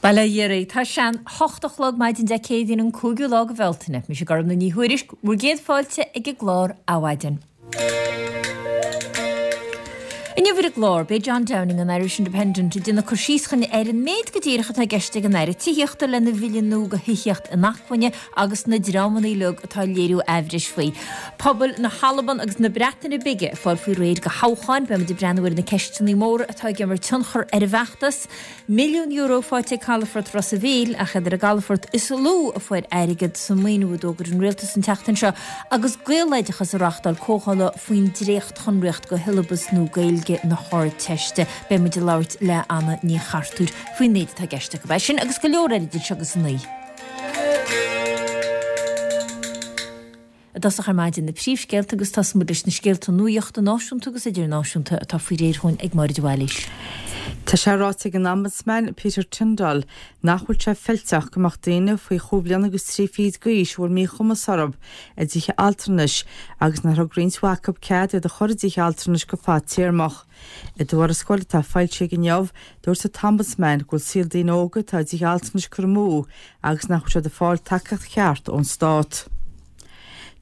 Bail ó Dhia oraibh. Tá sé an hocht a chlog maidin Dé Céadaoin an cúigiú lá de Bhealtaine. Mise Gormfhlaith Ní Thuairisg, bhur gcéad fáilte ag an gclár Adhmhaidin. Inniu ar an gclár, beidh John Downing an Irish Independent ag déanamh cur síos chugainn ar an méid go díreach atá i gceist ag an Aire Tithíochta lena bhille nua do thithíocht inacmhainne agus na dreamanna uilig atá ag léiriú aimhris faoi. Pobail na hAlban agus na Breataine Bige ag fáil faoi réir do thoghcháin, beimid ag breathnú ar na ceisteanna móra atá ag imirt tionchar ar an bhfeachtas. €1 milliún faighte ag Calafort Ros a' Mhíl, ach iad ar an gcalafort is lú a fuair airgead sa maoiniú a d'fhógair an Rialtas an tseachtain seo agus Gaeloideachas ag reáchtáil comhdhála faoin dréachtshonraíocht do shiollabas nua Gaeilge na hArdteiste. Beidh muid ag labhairt le Anna Ní Chartúir faoin méid atá i gceist acu. É sin agus go leor eile idir seo agus a naoi. I dtosach ar maidin na príomhscéalta agus tosóidh muid leis na scéalta nuachta náisiúnta agus idirnáisiúnta atá faoi réir chugainn ag Máire de Bhailís. Tá sé ráite ag an Ombudsman, Peter Tyndall, nach bhfuil sé feilteach go mbeadh daoine faoi chúig bhliana agus trí fichid d'aois a bhfuil míchumas orthu i dtithe altranais agus nár thug roinnt mhaith acu cead iad a chur i dtithe altranais go fadtéarmach. I dtuarascáil atá foilsithe aige inniu, dúirt an tOmbudsman go bhfuil saol daoine óga atá i dtithe altranais curtha amú agus nach bhfuil siad ag fáil tacaíocht cheart ón stát.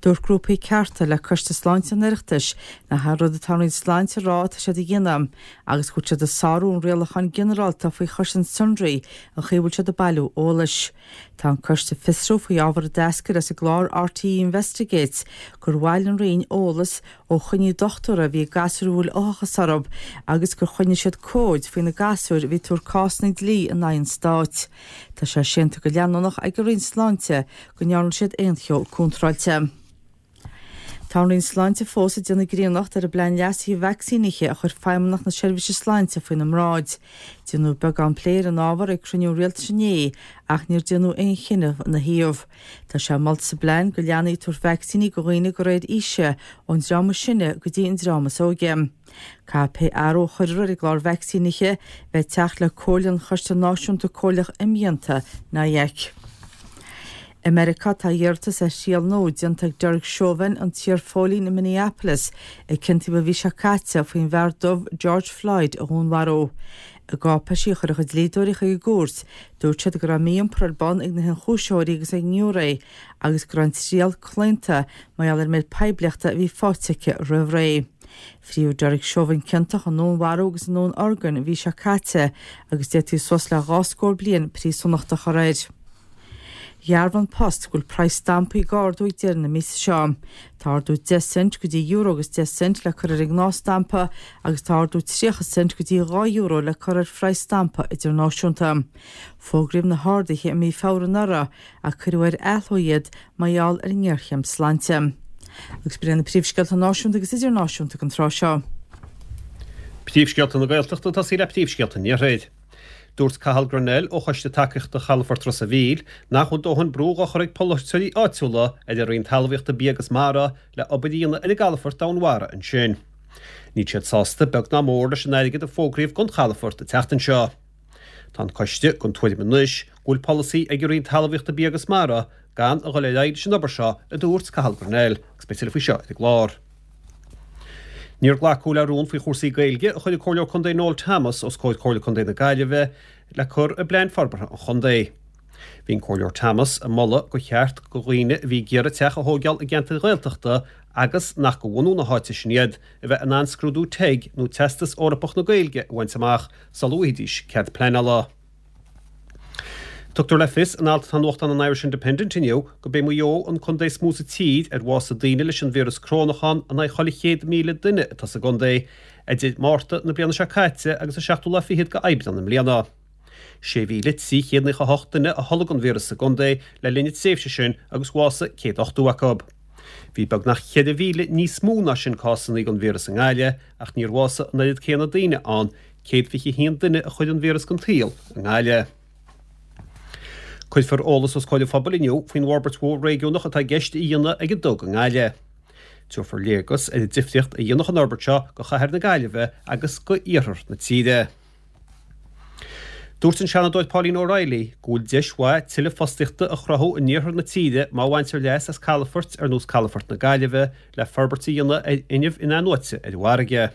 Dúirt grúpaí cearta le Coiste Sláinte an Oireachtais nach é an rud atá an Roinn Sláinte a rá atá siad a dhéanamh agus go bhfuil siad ag sárú an rialacháin ginearálta faoi chosaint sonraí an chaoi a bhfuil siad ag bailiú eolais. Tá an coiste ag fiosrú faoi ábhar a d'eascair as an gclár RTÉ Investigates gur bhailigh an Roinn eolas ó choinní dochtúra a bhí ag gasúir a bhfuil uathachas orthu agus gur choinnigh siad comhaid faoi na gasúir a bhí ag tabhairt cásanna dlí in aghaidh an stáit. Tá sé séanta go leanúnach ag an Roinn Sláinte go ndearna siad aon cheo contráilte. Tá an Roinn Sláinte fós ag déanamh grionnacht ar an bplean leasaithe vacsaínithe a chuir Feidhmeannacht na Seirbhíse Sláinte faoina mbráid. Déanadh beagán plé ar an ábhar ag cruinniú an Rialtais inné ach níor déanadh aon chinneadh ina thaobh. Tá sé molta sa bplean go leanfaí ag tabhairt vacsaíní do dhaoine de réir aoise, ón dream is sine go dtí an dream is óige. Caithfidh pé athrú a chuirfear ar an gclár vacsaínithe bheith ag teacht le comhairle an Choiste Náisiúnta Comhairleach Imdhíonta, NIAC. I Meiriceá tá iarratas ar thriail nua déanta ag Derek Chauvin, an t-iarphóilín i Minneapolis a ciontaíodh an mhí seo caite faoin bhfear dubh George Floyd a dhúnmharú. I gcáipéisí a chuir a chuid dlíodóirí chuig an gcúirt, dúirt siad go raibh mí-iompar ar bun ag na hionchúisitheoirí agus ag an ngiúiré agus go raibh an triail claonta mar gheall ar an méid poiblíochta a bhí faighte aici roimh ré. Fríothadh Derek Chauvin ciontach i ndúnmharú agus i ndúnorgain an mhí seo caite agus d'fhéadfaí suas le dhá scór bliain príosúnachta a chur air. Dhearbhaigh An Post go bhfuil praghas stampaí ag ardú ag deireadh na míosa seo. Tá ardú 10 cent go dtí euro agus 10 cent le cur ar an ngnáthstampa agus tá ardú 30 cent go dtí 2 euro le cur ar phraghas stampa idirnáisiúnta. Fógraíodh na harduithe i mí Feabhra anuraidh ach cuireadh ar athló iad mar gheall ar an ngéarchéim sláinte. Agus b'in iad na príomhscéalta náisiúnta agus idirnáisiúnta don tráth seo. Príomhscéalta na Gaeltachta ag tosaí le príomhscéalta an Iarthair. Dúirt Cathal Grennell ó Choiste Tacaíochta Chalafort Ros a' Mhíl nach bhfuil dóthain brú dhá chur ag polaiteoirí áitiúla ar an Roinn Talmhaíochta Bia agus Mara le obair a dhéanamh ar an gcalafort domhainmhara ansin. Níl siad sásta beag ná mór leis an airgead a fógraíodh don chalafort an tseachtain seo. Tá an coiste den tuairim anois go bhfuil polasaí ag an Roinn Talmhaíochta Bia agus Mara gan a dhul ar aghaidh leis an obair seo, a dúirt Cathal Grennell, agus beidh tuilleadh faoi seo ar an gclár. Níor glacadh le rún faoi chúrsaí Gaeilge a chuir an Comhairleoir Contae Noel Thomas os comhair Comhairle Contae na Gaillimhe le cur i bplean forbartha an chontae. Bhí an Comhairleoir Thomas ag moladh gur cheart do dhaoine a bhí ag iarraidh teach a thóigeáil i gceantair Ghaeltachta agus nach de bhunú na háite sin iad, a bheith in ann scrúdú teg nó Teastas Eorpach na Gaeilge a bhaint amach sula bhfaighidís cead pleanála. Tugtar le fios in alt atá i nuachtán an Irish Independent inniu gurb é Maigh Eo an contae is mó sa tír ar bhásaigh daoine leis an víreas corónach ann in aghaidh chuile 100,000 duine atá sa gcontae, idir Márta na bliana seo caite agus an seachtú lá fichead de Aibreán i mbliana. 6,398 duine a tholg an víreas sa gcontae le linn na tréimhse sin agus bhásaigh 180 acu. Bhí beagnach 4,000 níos mó ná sin cásanna den víreas i nGaillimh ach níor bhásaigh an oiread céanna daoine ann, 121 duine a chuir an víreas den tsaol i nGaillimh. Cuirfear eolas os comhair an phobail inniu faoin bhforbairt mhór réigiúnach atá i gceist a dhéanamh ag an dTug i nGaillimh. Tabharfar léargas ar an difríocht a dhéanfadh an fhorbairt seo do chathair na Gaillimhe agus do iarthar na tíre. Dúirt an Seanadóir Pauline O'Reilly go bhfuil deis mhaith tuilleadh fostaíochta a chruthú in iarthar na tíre má bhaintear leas as calafoirt ar nós Calafort na Gaillimhe le forbairt a dhéanamh ar fhuinneamh in-athnuaite ar an bhfarraige.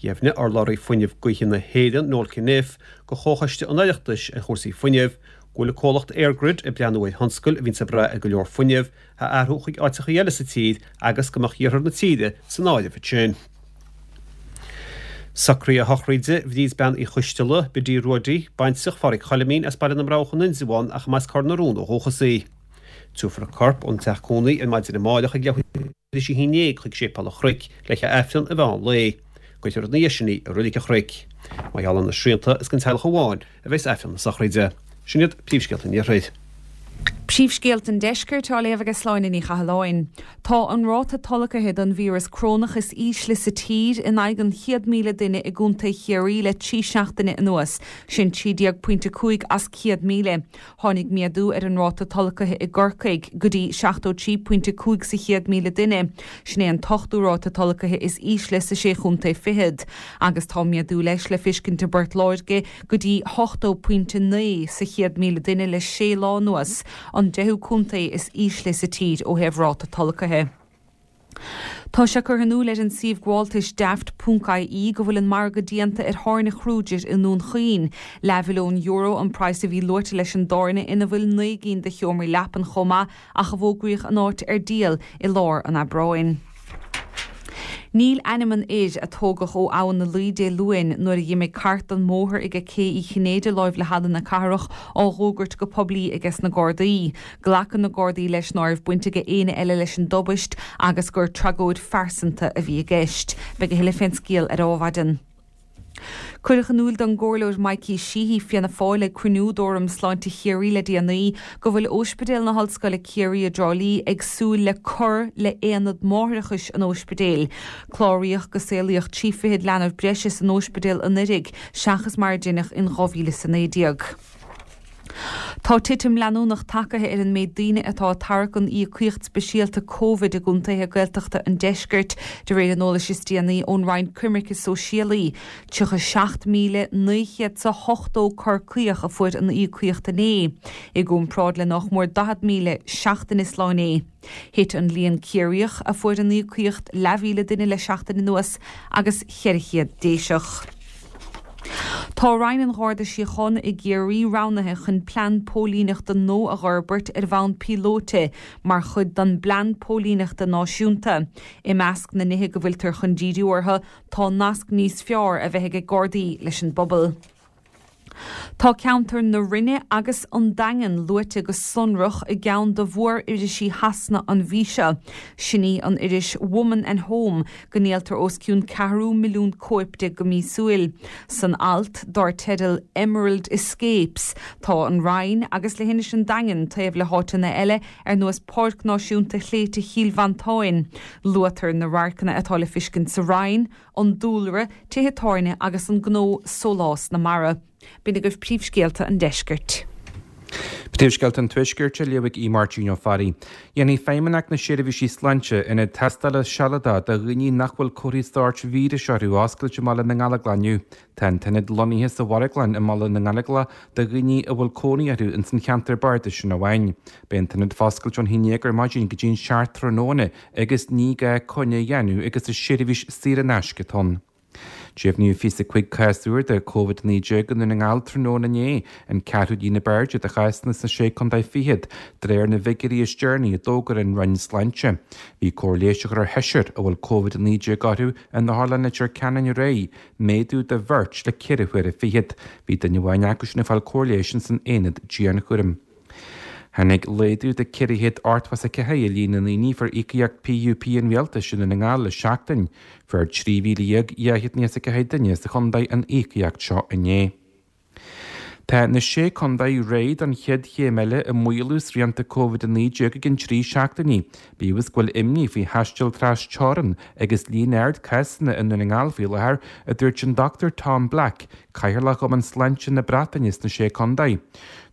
Dheimhnigh urlabhraí Fuinneamh Gaoithe na hÉireann, Noel Cunniffe, do Chomhchoiste an Oireachtais ar chúrsaí fuinnimh, go bhfuil an comhlacht EirGrid ag breathnú ar thionscail a bhíonns ag brath ar go leor fuinnimh a athrú chuig áiteachaí eile sa tír agus go mbeadh iarthar na tíre san áireamh ansin. Socruithe sochraide Bhríd Bean Uí Choisteala, Bidí Ruaidí, baintreach Phádraig Choilimín as Baile na mBroghach in Indreabhán ach mba as Cor na Rón ó dhúchas í. Tabharfar a corp ón teach cónaí ar maidin amáireach ag leathuair tar éis a 11 chuig Séipéal an Chnoic le haghaidh Aifreann an mheán lae. Cuirfear ina dhiaidh sin í i Reilig an Chnoic. Mar gheall ar na srianta is don teaghlach amháin a bheas Aifreann na sochraide. Sin iad príomhscéalta an Iarthair. Príomhscéalta an Deiscirt á léamh ag Sláine Ní Chathalláin. Tá an ráta tolgtha don víreas corónach is ísle sa tír in aghaidh an 100,000 duine i gContae Chiarraí le 3 seachtaine anuas, sin 13 pointe 5 as 100,000. Tháinig méadú ar an ráta tolgtha i gCorcaigh go dtí 73 pointe 5 sa 100,000 duine. Sin é an t-ochtú ráta tolgtha is ísle sa Sé Chontae Fichead. Agus tá méadú leis le fiscint i bPort Láirge go dtí 80.9 sa 100,000 duine le sé lá anuas, an deichiú contae is ísle sa tír ó thaobh ráta tolgtha. Tá sé curtha in iúl ar an suíomh gabháltais daft ponc ie go bhfuil an margadh déanta ar thábhairne Kruger i nDún Chaoin. Leathmhilliún euro an praghas a bhí luaite leis an dtábhairne ina bhfuil 9 gcinn de sheomraí leapan chomh maith ach a bhfógraíodh an áit ar díol i lár an Aibreáin. Níl ainm an fhir a tógadh ó Abhainn na Laoi Dé Luain nuair a dh'imigh cairt den mbóthar aige Cé Uí Chinnéide láimh le Halla na Cathrach á dh'fhógairt go poiblí aiges na Gardaí. Glacann na Gardaí leis ná raibh baint aige éinne eile leis an dtubaist agus gur tragóid phearsanta a bhí i gceist. Beidh a thuilleadh fén scéal ar Adhmhaidin. Cuireadh in iúl don gComhairleoir Mikey Sheehy, Fianna Fáil, ag cruinniú d'Fhóram Sláinte Chiarraí le déanaí go bhfuil Óispidéal na hOllscoile Ciarraí i dTrá Lí ag súil le cur le haonad máithreachais an óispidéil. Cláraíodh go saolaíodh 23 fichead leanbh breise san óispidéal anuiridh seachas mar a deineadh in 2019. Tá titim leanúnach tagaithe ar an méid daoine atá ag tarrac an íocaíocht speisialta Covid i gcontaetha Gaeltachta an deiscirt, de réir an eolais is déanaí ón Roinn Coimirce Sóisialaí. 37,980 Corcaíoch a fuair an íocaíocht inné, i gcomparáid le nách mór 40,000 seachtain is lá inné. Thit an líon Ciarraíoch a fuair an íocaíocht leathmhíle duine le seachtain anuas agus 400 Déiseach. Tá Roinn an Gharda Síochána i gCiarraí roghnaithe chun plean póilíneachta nua a dh'fhorbairt ar bhonn píolóite mar chuid den bPlean Póilíneachta Náisiúnta. I measc na nithe go bhfuiltear chun díriú orthu tá nasc níos fearr a bheith ag Gardaí leis an bpobal. Tá ceantar na Rinne agus an Daingean luaite go sonrach i gceann de mhór-irisí Shasana an mhí seo. Sin í an iris Woman and Home, go ndíoltar os cionn ceathrú milliún cóip de go míosúil. San alt, dár teideal Emerald Escapes, tá an Rinn agus leithinis an Daingin taobh le háiteanna eile ar nós Páirc Náisiúnta Shléibhte Chill Mhantáin. Luaitear na radharcanna atá le fiscint sa Rinn, an dúlra, tithe tábhairne agus an gnó Sólás na Mara. B'in agaibh príomhscéalta an deiscirt. Príomhscéalta an Tuaiscirt á léamh ag Aodh Máirtín Ó Fearraigh. Déanfaidh Feidhmeannacht na Seirbhísí Sláinte ionad tástála sealadach do dhaoine nach bhfuil comharthaí sóirt víris orthu a oscailt i mBaile na nGallóglach inniu. Tá an t-ionad lonnaithe sa mharglann i mBaile na nGallóglach do dhaoine a bhfuil cónaí orthu ins an cheantar bardais sin amháin. Beidh an t-ionad foscailte ón 11 ar maidin go dtí an 7 tráthnóna agus ní gá coinne a dhéanamh agus is seirbhís saor in aisce atá ann. Deimhníodh 25 cás úr de Covid-19 i nDún na nGall tráthnóna inné, an ceathrú líon ab airde de chásanna sna Sé Contae Fichead, de réir na bhfigiúirí is deireanaí a d'fhógair an Roinn Sláinte. Bhí cóir leighis á chur ar sheisear a bhfuil Covid-19 orthu in Otharlann Leitir Ceanainn aréir, méadú de bheirt le ceithre huaire fichead. Bhí duine amháin acu sin ag fáil cóir leighis ins an aonad dianchúraim. Tháinig laghdú de 484 i líon na ndaoine a fuair íocaíocht PUP an Rialtais i nDún na nGall le seachtain. Fuair 13,294 duine sa chontae an íocaíocht seo inné. Tá na Sé Contae réidh don chéad chéim eile i maolú srianta Covid-19 i gcionn 3 seachtainí, bíodh is go bhfuil imní faoi thaisteal tras-teorann agus líon ard cásanna i nDún na nGall faoi láthair, a dúirt an Dr Tom Black, Cathaoirleach Chumann Sláinte na Breataine sna Sé Contae.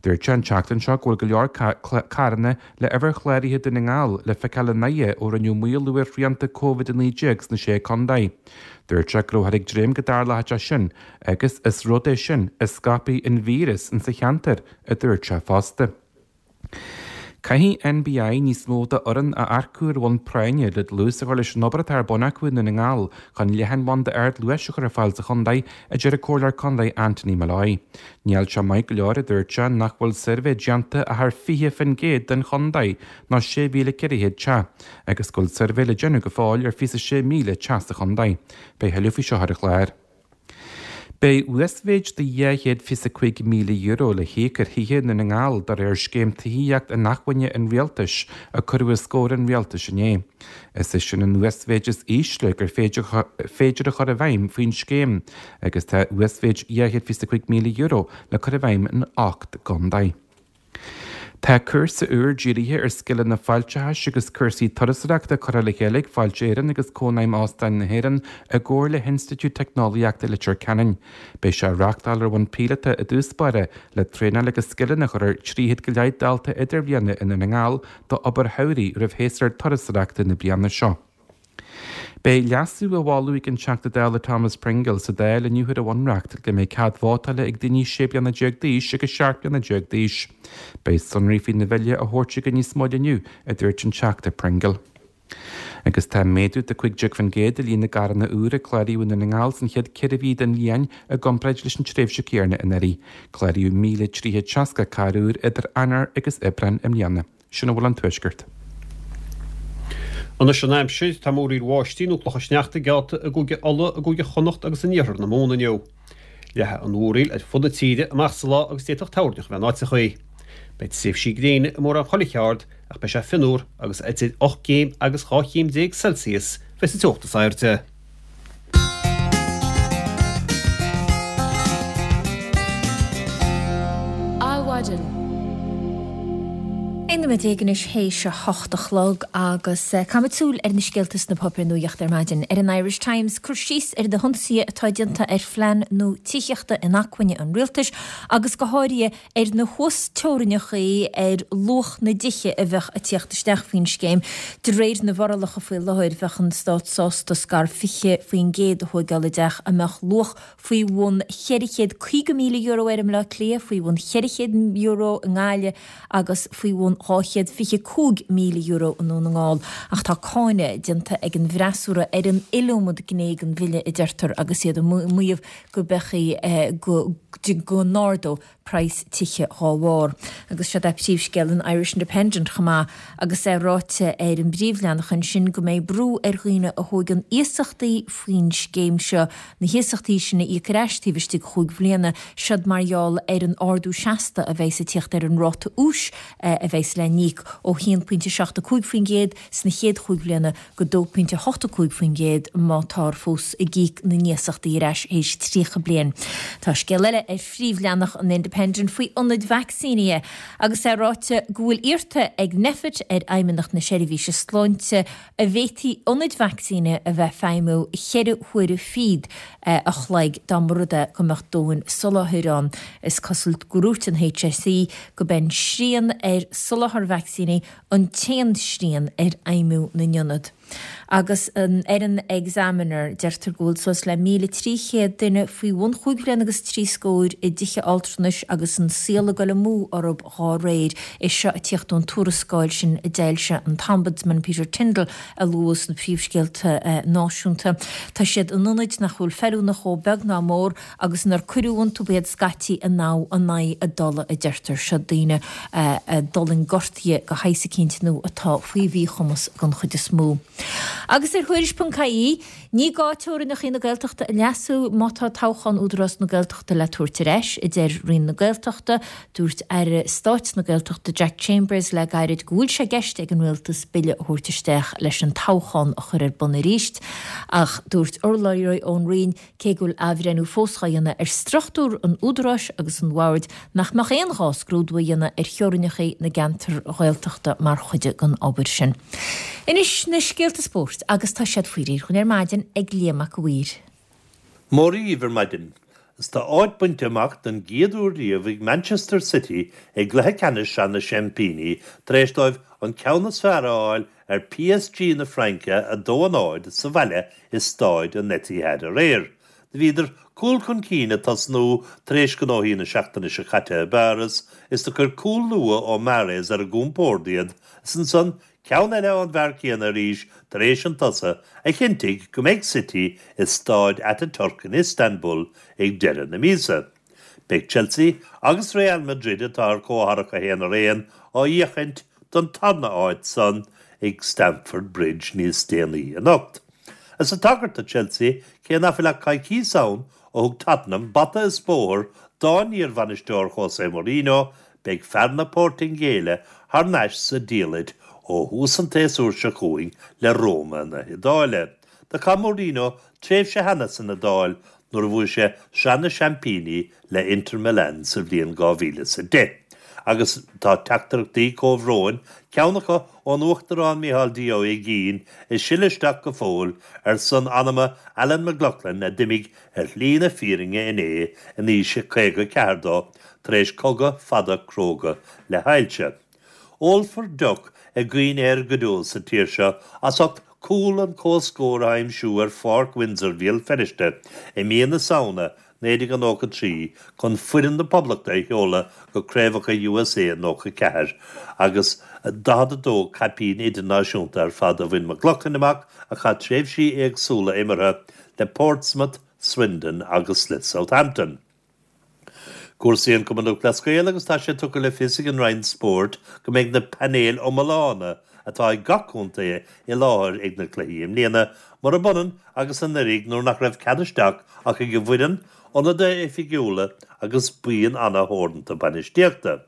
Dúirt sé an tseachtain seo go bhfuil go leor carranna le uimhir chláraithe Dún na nGall le feiceáil i nDoire ó rinneadh maolú ar shrianta Covid-19 sna Sé Contae. Dúirt sé go rabhthar ag dréim go dtarlódh sé sin agus is rud é sin a scaipfidh an víreas insa cheantar, a dúirt sé fosta. Caithfidh NBI níos mó d'fhoireann a earcú ar bhonn práinne le dlús a chur leis an obair atá ar bun acu i nDún na nGall chun leathanbhanda ardluais a chur ar fáil sa chontae, a deir an Comhairleoir Contae Anthony Molloy. Níl sé maith go leor, a dúirt sé, nach bhfuil suirbhé déanta ach ar 20% den chontae, nó 6,400 teach, agus go bhfuil suirbhé le déanamh go fóill ar 26,000 teach sa chontae. Beidh thuilleadh faoi seo ar an chlár. Beidh uasmhéid de €225,000 le híoc ar thithe i nDún na nGall de réir Scéim Tithíocht Inacmhainne an Rialtais a cuireadh os comhair an Rialtais inné. Is é sin an uasmhéid is ísle gur féidir a chur i bhfeidhm faoin scéim agus tá uasmhéid €225,000 le cur i bhfeidhm in 8 gcontae. Tá cúrsa úr dírithe ar scileanna fáilteachais agus cúrsaí turasóireachta curtha le chéile ag Fáilte Éireann agus Cónaidhm Óstáin na hÉireann i gcomhar le hInstitiúid Teicneolaíochta Leitir Ceanainn. Beidh sé á reáchtáil ar bhonn píolóta i dtús báire le traenáil agus scileanna a chur ar 300 go leith dalta idirbhliana i nDún na nGall d'obair shamhraidh roimh shéasúr turasóireachta na bliana seo. Beidh leasú á mholadh ag an Teachta Dála Thomas Pringle sa Dáil inniu ar an Bhunreacht go mbeidh cead vótála ag daoine 16 bliana d'aois agus 17 bliana d'aois. Beidh sonraí faoina bhille á thabhairt aige níos moille inniu, a dúirt an Teachta Pringle. Agus tá méadú de 15% i líon na gcarranna úr a cláraíodh i nDún na nGall san chéad 4 mhí den bhliain i gcomparáid leis an tréimhse chéanna anuraidh. Cláraíodh 1,360 carr úr idir Eanáir agus Aibreán i mbliana. Sin a bhfuil ón Tuaisceart. Anois an aimsir, tá múraíl bháistí nó clocha sneachta geallta i gCúige Uladh, i gCúige Chonnacht agus in iarthar na Mumhan inniu. Leathfaidh an mhúraíl ar fud na tíre amach sa lá agus d'fhéadfadh toirneach a bheith in áiteachaí. Beidh tréimhsí gréine i mórán chuile cheard ach beidh sé fionnuar agus idir 8 gcéim agus 12 chéim Celsius bheas an teocht is airde. Adhmhaidin. 11 nóiméad anois théis a hocht a chlog agus caithfimid súil ar na scéalta sna páipéir nuachta ar maidin. Ar an Irish Times, cur síos ar na hionsaithe atá déanta ar phlean nua tithíochta inacmhainne an rialtais agus go háirithe ar na huasteorainneacha ar luach na dtithe a bheadh ag tíocht isteach faoin scéim. De réir na bhforálacha faoi láthair, bheadh an Stát sásta scair 20% a thóigeáil i dteach a mbeadh luach faoi bhun €450,000 air i mBleá Cliath, faoi bhun €400,000 i nGaillimh agus faoi bhun €225,000 i nDún na nGall. Ach tá cáineadh déanta ag an bhfreasúra ar an iliomad gné den bhille, a deirtear, agus iad ag maíomh go mbeadh go go n-ardódh praghas tithe dhá bharr. Agus seod é príomhscéal an Irish Independent chomh maith agus é ráite ar an bpríomhleathanach ansin go mbeidh brú ar dhaoine a thóigeann iasachtaí faoin scéim seo na hiasachtaí sin a íoc ar ais taobh istigh de chúig bhliana, seod mar gheall ar an ardú seasta a bheidhs ag tíocht ar an ráta úis a bheidhs le n-íoc ó 1.75% sna chéad chúig bhliana go 2.85% má táthar fós ag íoc na n-iasachtaí ar ais théis 30 bliain. Tá scéal eile ar phríomhleathanach an Independent faoi ionaid vacsaínithe agus é ráite go bhfuil iarrta ag Nphet ar Fheidhmeannacht na Seirbhíse Sláinte an bhféadfaí ionaid vacsaínithe a bheith ag feidhmiú cheithre huaire fichead a chloig dá mba rud é go mbeadh dóthain soláthair ann. Is cosúil gur dhúirt an HSE go b'é an srian ar soláthar vacsaíní an t-aon srian ar fheidhmiú na n-ionad. Agus ar an Examiner, deirtear go bhfuil suas le 1,300 duine faoi bhun chúig bhliana agus trí scóir i dtithe altranais agus an saol ag dul amú orthu dhá réir. É seo ag tíocht ón tuarascáil sin a d'fhoilsigh an tOmbudsman Peter Tyndall a luadh sna príomhscéalta náisiúnta. Tá siad in ionaid nach bhfuil feiliúnach dhóibh beag ná mór agus inar cuireadh iontu iad scaití in aghaidh in aghaidh a dtola a deirtear. Seo daoine a d'fhulaing gortuithe de shaghas eicínt nó atá faoi mhíchumas den chuid is mó. Agus ar Thuairisc.ie, ní gá teorainneacha na Gaeltachta a leasú má tá toghchán Údarás na Gaeltachta le tabhairt ar ais, a deir Roinn na Gaeltachta. Dúirt Aire Stáit na Gaeltachta Jack Chambers le gairid go bhfuil sé i gceist ag an Rialtas bille a thabhairt isteach leis an toghchán a chur ar bun arís. Ach dúirt urlabhraí ón Roinn Cé go bhfuil athbhreithniú fós á dhéanamh ar struchtúr an Údaráis agus an Bhoird, nach mbeadh aon ghá scrúdú a dhéanamh ar theorainneacha na gceantar Ghaeltachta mar chuid den obair sin. Anois na scéalta spóirt agus tá siad faoi réir dhúinn ar maidin ag Liam Mac a' Mhaoir. Mora dhíbh ar maidin. Is tá áit bainte amach don gcéad uair riamh ag Manchester City i gcluiche ceannais Sraith na Seaimpíní tar éis dóibh an ceann is fearr a fháil ar PSG na Fraince 2-0 sa bhaile i Stáid an Etihad aréir. Do bhíodar cúl chun cinn ag tosnú tar éis gnóthaí na seachtaine seo caite i bPáras is do chuir cúl luath ó Mahrez ar a gcompórd iad is ansan ceann eile ón bhfear céanna arís tar éis an tsosa a chinntigh go mbeidh City i Stáid Ataturk in Istanbul ag deireadh na míosa. Beidh Chelsea agus Real Madrid, atá ar comhtharrac 1-1, á fhiachaint don tarna áit san ag Stamford Bridge níos déanaí anocht. Is ag tagairt do Chelsea, cé nach bhfuil ach coicíos ann ó thug Tottenham bata is bóthar dá n-iarbhainisteoir José Mourinho, beidh fear na Portaingéile thar n-ais sa diallait ó thús an tséasúir seo chugainn le Roma na hIodáile. Do chaith Mourinho tréimhse cheana san Iodáil nuair a bhuaigh sé Sraith na Seaimpíní le Inter Milan sa bhliain 2010. Agus tá teachtaireachtaí comhbhróin, ceann acu ón Uachtarán Micheál D. Ó hUigínn, ag sileadh isteach go fóill ar son anama Alan McLoughlin a d'imigh ar shlí na fírinne inné in aois a 54 dó tar éis cogadh fada cróga le hailse. Ólfar deoch i gcuimhne air go deo sa tír seo as ucht cúl an comhscóir a aimsiú ar Pháirc Windsor Bhéal Feirste i mí na Samhna 1993 chun foireann na Poblachta a sheoladh go Craobhacha USA 94 agus 42 caipín idirnáisiúnta ar fad a bhain McLoughlin amach a chaith tréimhsí éagsúla imeartha le Portsmouth, Swindon agus le Southampton. Cúrsaí an Chumann Lúthchleas Gael agus tá sé tugtha le fios ag an Roinn Spóirt go mbeidh na painéil iomána atá ag gach contae i láthair ag na cluichí i mbliana, murab ionann agus anuraidh nuair nach raibh cead isteach ach ag an bhfoireann, ionadaithe oifigiúla agus buíon ana-theoranta bainistíochta.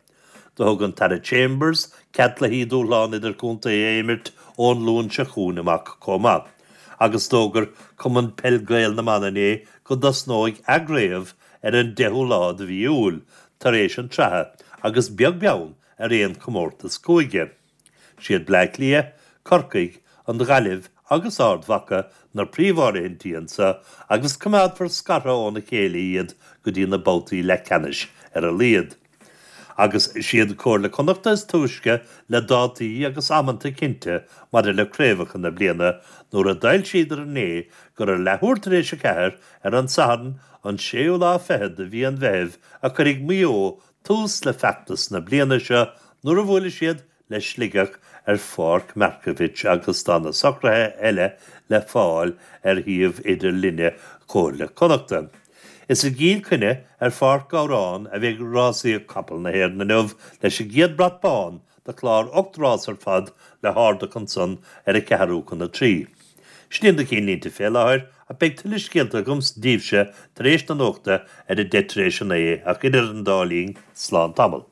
Do thug an tAire Chambers cead cluichí dúshláin idirchontae a imirt ón Luan seo chugainn amach chomh maith. Agus d'fhógair Cumann Peil Gael na mBan inné go dtosnóidh a gcraobh ar an 10ú lá de mhí Iúil, tar éis an tsraithe, agus beag beann ar aon chomórtas cúige. Siad Bleá Cliath, Corcaigh, an Ghaillimh agus Ard Mhacha na príomháirithintí anseo agus coimeádfar scartha óna chéile iad go dtí na babhtaí leathcheannais ar a laghad. Agus siad Comhairle Connachta is túisce le dátaí agus amanta cinnte maidir le craobhacha na bliana nuair a d'fhoilsíodar inné gur ar leathuair tar éis a ceathair ar an Satharn an séú lá fichead de mhí an Mheithimh a chuirfidh Maigh Eo tús le feachtas na bliana seo nuair a bhuailfidh siad le Sligeach ar Pháirc Markievicz agus tá na socruithe eile le fáil ar shuíomh idirlinne Chomhairle Connachta. Is i gCill Chainnigh ar Pháirc Ghabhráin a bheidh rásaíocht capall na hÉireann inniu leis an gcéad brat bán de chlár 8 rás ar fad le hardach ansan ar a ceathrú chun a 3. Sin iad na cinnlínte fé láthair ach beidh tuilleadh scéalta agam daoibhse tar éis na nuachta ar a deich tar éis a naoi ach idir an dá linn, slán tamall.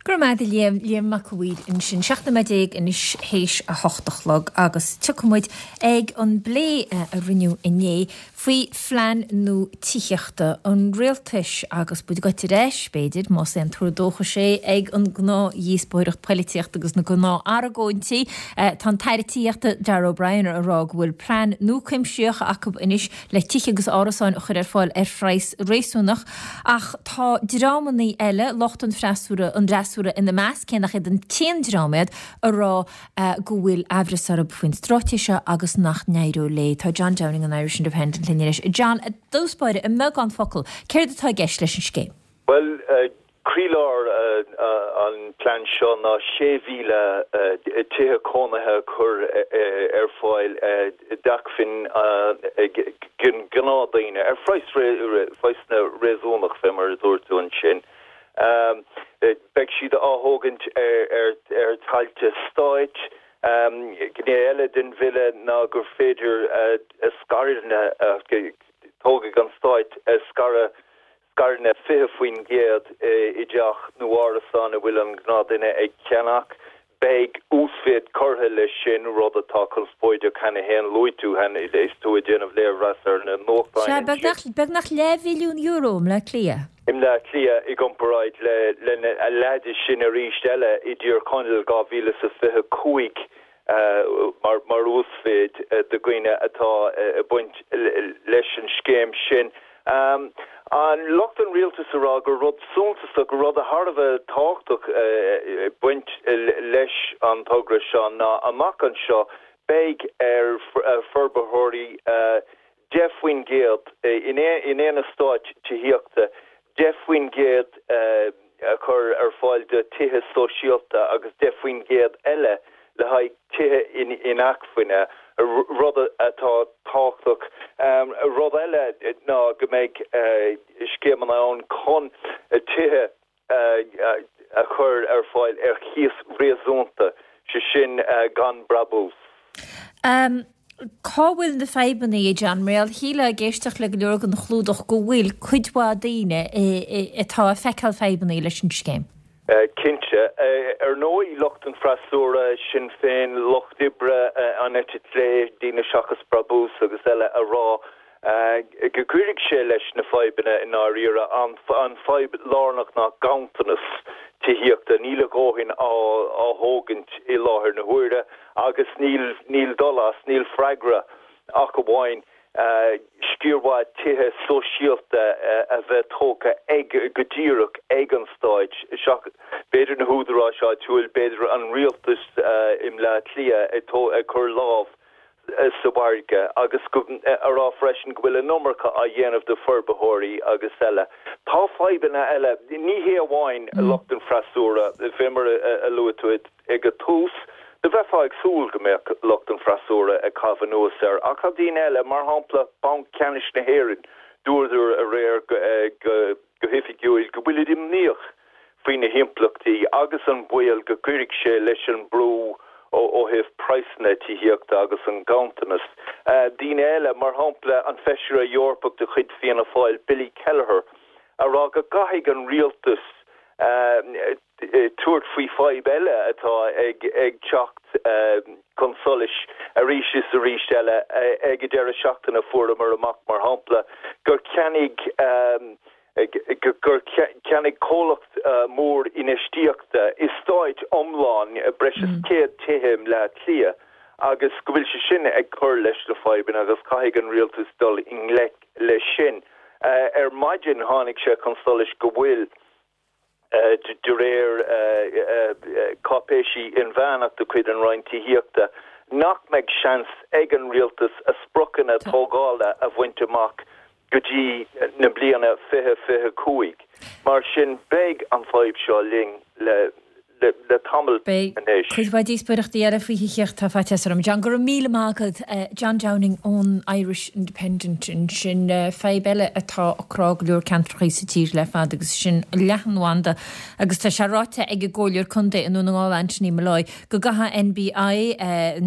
Go raibh maith agat a Liam, Liam Mac a' Mhaoir ansin. 17 nóiméad anois théis a hocht a chlog agus tiocfaidh muid ag an bplé a rinneadh inné faoi phlean nua tithíochta an rialtais agus muid ag goil ar ais, b'fhéidir, más aon tuar dóchais é, ag an gnáth-dhíospóireacht poilitíochta agus na gnáth-argóintí. Tá an tAire Tithíochta Darragh O'Brien ag rá go bhfuil plean nua cuimsitheach acu anois le tithe agus árasáin a chur ar fáil ar phraghas réasúnach. Ach tá dreamannaí eile, lucht an fhreasúra, an fhreasúra ina measc, cé nach iad an t-aon dream iad, a rá go bhfuil aimhreas orthu faoin straitéis seo agus nach n-éireoidh léi. Tá John Downing an Irish Independent linn anois. John, i dtús báire, i mbeagán focal, céard atá i gceist leis an scéim? Bhuel, Croílár an plean seo ná 6,000 tithe cónaithe a chur ar fáil d'acmhainn ag gnáthdhaoine ar phraghsanna réasúnach, fé mar a dúirt tú ansin. Beidh siad á thógaint ar thailte stáit. Gné eile den bhille ná gur féidir scaireanna, tógfaidh an Stát scaire, scaireanna 20% i dteach nó árasán a bhfuil an gnáthdhuine ag ceannach. Beidh uasmhéid curtha leis sin, rud atá conspóideach cheana féin. Luaigh tú cheana, is tú ag déanamh léirmheas ar na nuachtáin Sea, beagnach, beagnach leathmhilliún euro i mBleá Cliath. I mBleá Cliath i gcomparáid le, lena a leath de sin arís eile i dTír Chonaill 2025 mar, mar uasmhéid do dhaoine atá ag baint leis an scéim sin. An lucht an rialtais a rá gur rud suntasach, gur rud thar a bheith tábhachtach ag baint leis an togra seo ná amach anseo beidh ar forbarthóirí. 10% in aon eastát tithíochta, 10% a chur ar fáil do tithe sóisialta agus 10% eile le haghaidh tithe inacmhainne, rud atá tábhachtach. Rud eile ná go mbeidh scéimeanna ann chun tithe a chur ar fáil ar chíos réasúnta, sé sin gan brabús. Cá bhfuil na fadhbanna, a John? Mar gheall, shílfeá ag éisteacht le go leor den chlúdach go bhfuil cuid mhaith daoine atá ag feiceáil fadhbanna leis an scéim. Cinnte. Ar ndóigh, lucht an freasúra, Sinn Féin, Lucht Oibre, an eite chlé, Daoine Seachas Brabús agus eile a rá go gcuirfidh sé leis na fadhbanna i ndáiríre. An fadhb lárnach ná ganntanas tithíochta. Níl a dhóthain á thógaint i láthair na huaire agus níl níl dul as, níl freagra ach amháin sciar mhaith tithe sóisialta a bheith tógtha ag go díreach ag an stáit, seachas b'fhéidir na húdaráis áitiúil, b'fhéidir an rialtas i mBleá Cliath ag cur lámh sa mhargadh agus a rá freisin go bhfuil an iomarca á dhéanamh do forbarthóirí agus eile. Tá fadhbanna eile, ní hé amháin lucht an freasúra, fé mar a luaigh tú ag an tús, do bheifeá ag súil go mbeadh lucht an freasúra ag caitheamh anuas air, ach tá daoine eile, mar shampla Banc Ceannais na hÉireann, dúradar aréir go. go hoifigiúil go bhfuilid imníoch faoi na himpleachtaí agus an baol go gcuirfidh sé leis an mbrú ó thaobh praghsanna tithíochta agus an ganntanas. Daoine eile, mar shampla an Feisire Eorpach de chuid Fianna Fáil, Billy Kelleher, a rá go gcaithfidh an rialtas tabhairt faoi fadhb eile atá ag teacht chun solais arís is arís eile. Ag an deireadh seachtaine fuaireamar amach, mar shampla, gur cheannaigh gur cheannaigh comhlacht mór infheistíochta eastát iomlán breis is 100 tithe i mBleá Cliath agus go bhfuil sé sin ag cur leis na fadhbanna agus caithfidh an rialtas dul i ngleic leis sin. Ar maidin tháinig sé chun solais go bhfuil de réir cáipéisí inmheánach de chuid an Roinn Tithíochta, nach mbeidh seans ag an rialtas a spriocanna tógála a bhaint amach go dtí na bliana 2025. Mar sin, beidh an fadhb seo linn le le tamall Beidh anois. cuid mhaith díospóireachtaí eile faoi thithíocht, tá faitíos orm. John, go raibh míle maith agat. John Downing ón Irish Independent ansin. Fadhb eile atá ag crá go leor ceantracha sa tír le fada agus sin leathanbhanda agus tá sé ráite ag an gComhairleoir Contae i nDún na nGall Anthony Molloy go gcaithfidh NBI,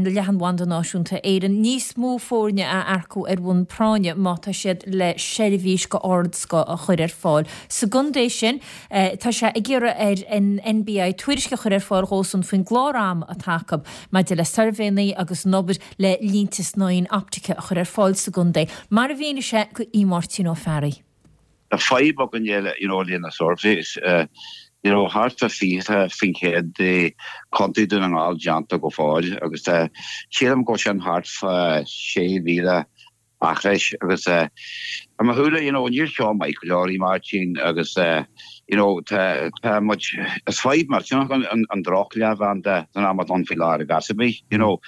Leathanbhanda Náisiúnta Éireann, níos mó foirne a earcú ar bhonn práinne má tá siad le seirbhís de ardscoth a chur ar fáil sa gcontae sin. Tá sé ag iarraidh ar an NBI tuairisc a chur ar fáil dhósan faoin gclár ama atá acu maidir le suirbhéanna agus an obair le línte snáithín optaice a chur ar fáil sa gcontae, mar a mhínigh sé go Aodh Máirtín Ó Fearraigh. Tá fadhb againn you know le na surveys you know thart fá 20% de Chontae Dún na nGall déanta go fóill agus tá sílim go bhfuil sin thart fá 6,000 acres agus i mo shúile you know níl seo maith go leor a Mháirtín agus you know tá tá muid is fadhb millteanach an an droch leathbhanda san am atá ann faoi láthair i gcás ar bith you know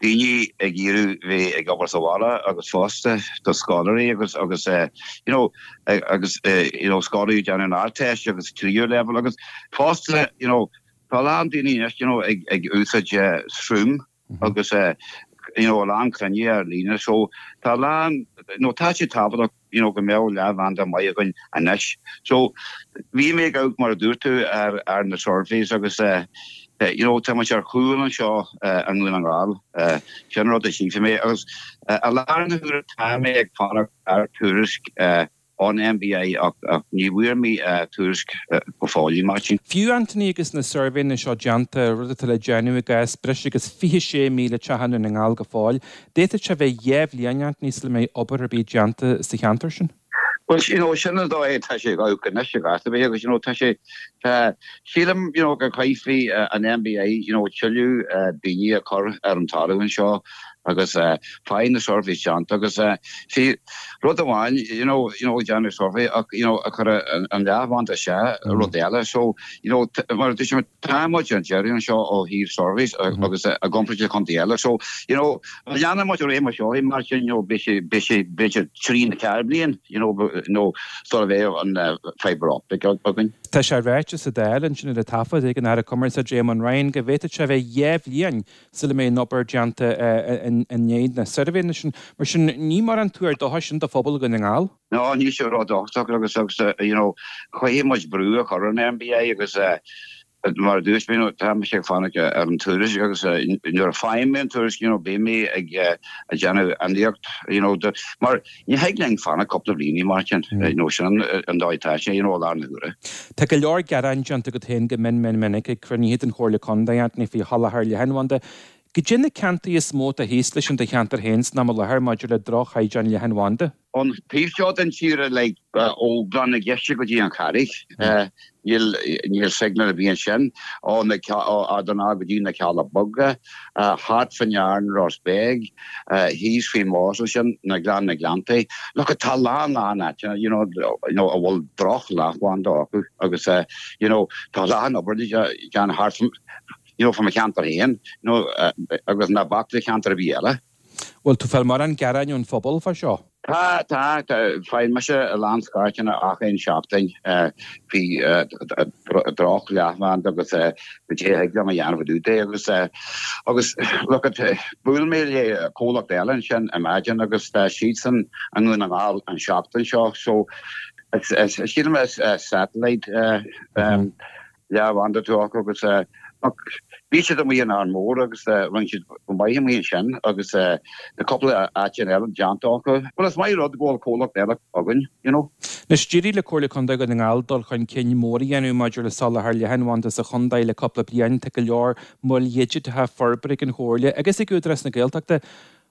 daoine ag iarraidh bheith ag obair sa bhaile agus fosta do scoláirí agus agus you know agus you know scoláirí ag déanamh an Ardteist agus tríú leibhéal agus fosta you know tá a lán daoine anois you know ag ag úsáid Zoom agus you know a lán cruinnithe ar líne so tá a lán you know tá sé tábhachtach you know go mbeadh leathbhanda maith againn anois. So bhí mé ag amharc mar a dúirt tú ar ar na surveys agus eh you know tá muid ar chúl anseo i nDún na nGall sin rud a chífidh mé agus i láthair na huaire tá mé ag fanacht ar tuairisc ón NBI ach ní bhfuair mé tuairisc go fóill, a Mháirtín. Fiú, Anthony, agus na suirbhéanna seo déanta, rud atá le déanamh i gcás breis agus 26,000 teach i nDún na nGall go fóill, d'fhéadfadh sé bheith 2 bhliain, Anthony, sula mbeidh obair ar bith déanta sa cheantar sin. Bhuel, you know, sin an dóigh atá sé ag amharc anois i gcás ar bith agus, you know, tá sé, tá, sílim, you know, go gcaithfí an NBI, you know, tuilleadh daoine a chur ar an talamh anseo. Agus faigheann na surveys déanta agus see rud amháin you know you know déanamh survey ach you know a chur an leathbhanda isteach rud eile so you know mar a dúirt mé tá muid ar deireadh anseo ó thaobh surveys agus i gcomparáid le contae eile so you know má leanann muid ar aghaidh mar seo mar sin you know beidh sé beidh sé b'fhéidir trí nó ceathair bliain you know you know sula bheidh an fibre optic againn. Tá sé ráite sa Dáil ansin ar an taifead ag an Aire Cumarsáide Éamon Ryan go bhféadfadh sé a bheith 2 bhliain sula mbeidh an obair déanta i ndiaidh na suirbhéanna sin. Mar sin, ní mórán tuar dóchais sin do phobal Dhún na nGall. No, níl sé ródhóchasach agus agus you know caithfidh muid brú a chur ar an MBI agus mar a dúirt mé, you know, tá mise ag fanacht ar an tuairisc agus nuair a faighim mé an tuairisc, you know, beidh mé ag déanamh ionadaíocht, you know, mar Ní thig linn fanacht cúpla bliain, Máirtín, nó sin an dóigh atá sé, you know, i láthair na huaire. Tá go leor gearáin déanta agat féin go mion mion minic ag cruinnithe den Chomhairle Contae, Anthony, faoi sholáthar leathanbhanda. Goidé na ceantair is mó atá thíos leis in do cheantar féin san am i láthair maidir le droch-chaighdeán leathanbhanda? An taobh seo den tír, like, ó Ghleann na gCeiste go dtí an Charraig. Níl, níl signal ar bith ansin ó na, ó Ard an Rátha go dtí na Cealla Beaga, thart fá ndear an Ros Beag, thíos faoin Más ansin, na Gleann na Gleanntaí. Look, tá a lán, lán áiteanna, you know, you know, a bhfuil droch leathbhanda acu agus, you know, tá a lán obair le déanamh thart, you know, fá mo cheantar féin, you know, agus ná bac le ceantar ar bith eile. Bhfuil tú ag fáil mórán gearáin ón phobal fá seo? Tá, tá, faigheann mise a lán scairteanna ach aon seachtain faoi droch leathbhanda agus goidé a thig liom a dhéanamh i dtaobh de agus agus look at bhuail mé le comhlacht eile ansin ar maidin agus tá siadsan i nDún na nGall an seachtain seo so sílim is satellite leathbhanda atá acu agus ach bhí siad amuigh in Árainn Mhór agus rinne siad go maith amuigh ansin agus tá cúpla áiteanna eile déanta acu. Bhuel is maith rud go bhfuil comhlacht eile againn, you know. Anois, d'éirigh le Comhairle Contae Dhún na nGall dul chun cinn mór a dhéanamh maidir le soláthar leathanbhanda sa chontae le cúpla bliain. Tá go leor moil dhigiteacha forbartha ag an Chomhairle agus ag Údarás na Gaeltachta.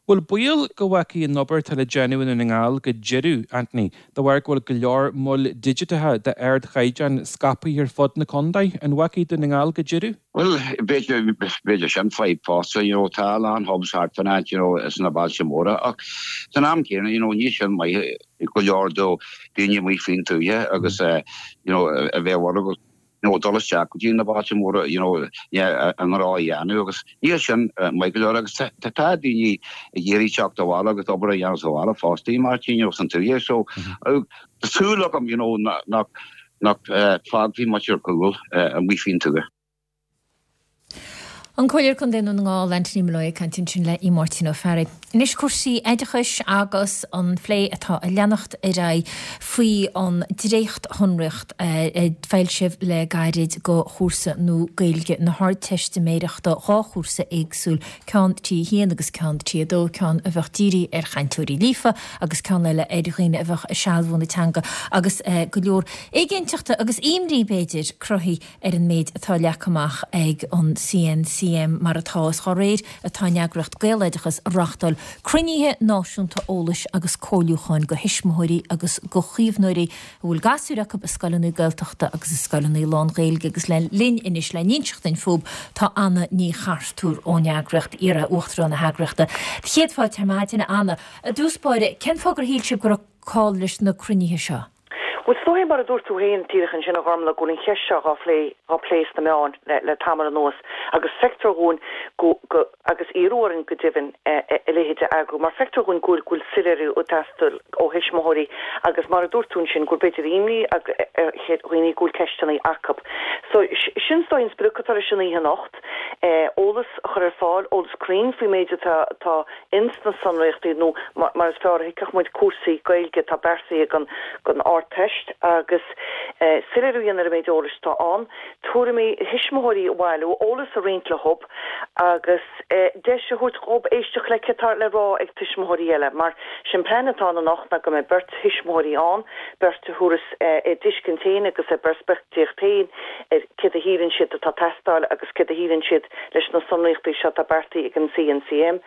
Bhfuil baol go bhfágfaidh an obair atá le déanamh i nDún na nGall go deireadh, Anthony, de bharr go bhfuil go leor moil digiteacha d'ardchaighdeán scaipthe ar fud na contae? An bhfágfaidh Dún na nGall go deireadh? Bhuel, b'fhéidir, b'fhéidir sin fadhb fosta, you know, tá a lán hubs thart fán áit, you know, sna bailte móra ach san am céanna, you know, níl sin maith go leor do daoine amuigh faoin tuaithe agus, you know, a bheith orthu you know, dul isteach go dtí na bailte móra, you know, a ngnó a dhéanamh agus níl sin maith go leor agus tá daoine ag iarraidh teacht abhaile agus obair a dhéanamh sa bhaile fosta, Máirtín, you know, san tuaithe so tá súil agam, you know, nach nach fágfaí muid ar chúl amuigh faoin tuath. An Comhairleoir Contae Dhún na nGall, Anthony Molloy ag caint ansin le Aodh Máirtín Ó Fearraigh. Anois cúrsaí oideachais agus an phlé atá ag leanacht ar aghaidh faoi an dréacht-shonraíocht a foilsíodh le gairid do chúrsa nua Gaeilge na hArdteistiméireachta, 2 chúrsa éagsúil, ceann T1 agus ceann T2, ceann a bheadh dírithe ar chainteoirí líofa agus ceann eile ar dhaoine a bheadh ag sealbhú na teanga agus go leor éiginnteachta agus imní, b'fhéidir, cruthaithe ar an méid atá leagtha amach ag an CNCM mar atá, is dá réir atá an eagraíocht Gaeloideachas ag reáchtáil cruinnithe náisiúnta eolais agus comhairliúcháin do thuismitheoirí agus do chaomhnóirí a bhfuil gasúir acu i scoileanna Gaeltachta agus i scoileanna lán-Ghaeilge agus linn anois le n-inseacht dúinn fúthu tá Anna Ní Chartúir ón eagraíocht, iar-uachtarán na heagraíochta. Céad fáilte ar maidin, a Anna. I dtús báire, cén fáth gur shíl sibh go raibh call leis na cruinnithe seo? Bhuel, is dóigh, mar a dúirt tú féin díreach ansin, a Ghormlaith, go bhfuil an cheist seo dhá phlé, dhá plé sna meáin le, le tamall anuas agus feictear dhúinn go, go, agus iarradh orainn go deimhin, a leithéid a eagrú mar feictear dhúinn go bhfuil, go bhfuil soiléiriú ag teastáil ó thuismitheoirí agus mar a dúirt tú ansin, go bhfuil b'fhéidir imní ar dhaoine, go bhfuil ceisteanna acu. So, sin is dóigh an sprioc atá leis an oíche anocht, eolas a chur ar fáil, eolas cruinn faoin méid atá, atá ins na sonraíochtaí nó mar is fearr a thuigfeadh muid cúrsaí Gaeilge atá beartaithe don don Ardteist agus soiléiriú a dhéanamh ar an méid eolais atá ann, tuairimí thuismitheoirí a bhailiú, eolas a roinnt leob agus deis a thabhairt dhób éisteacht le céard atá le rá ag tuismitheoirí eile mar sé'n plean atá ann anocht ná go mbeidh beirt thuismitheoirí ann, beirt a thabharfas a dtuiscint féin agus a bpeirspictíocht féin ar céard a shíleann siad atá ag teastáil agus céard a shíleann siad. leis na sonraíochtaí seo atá beartaithe ag an CNCM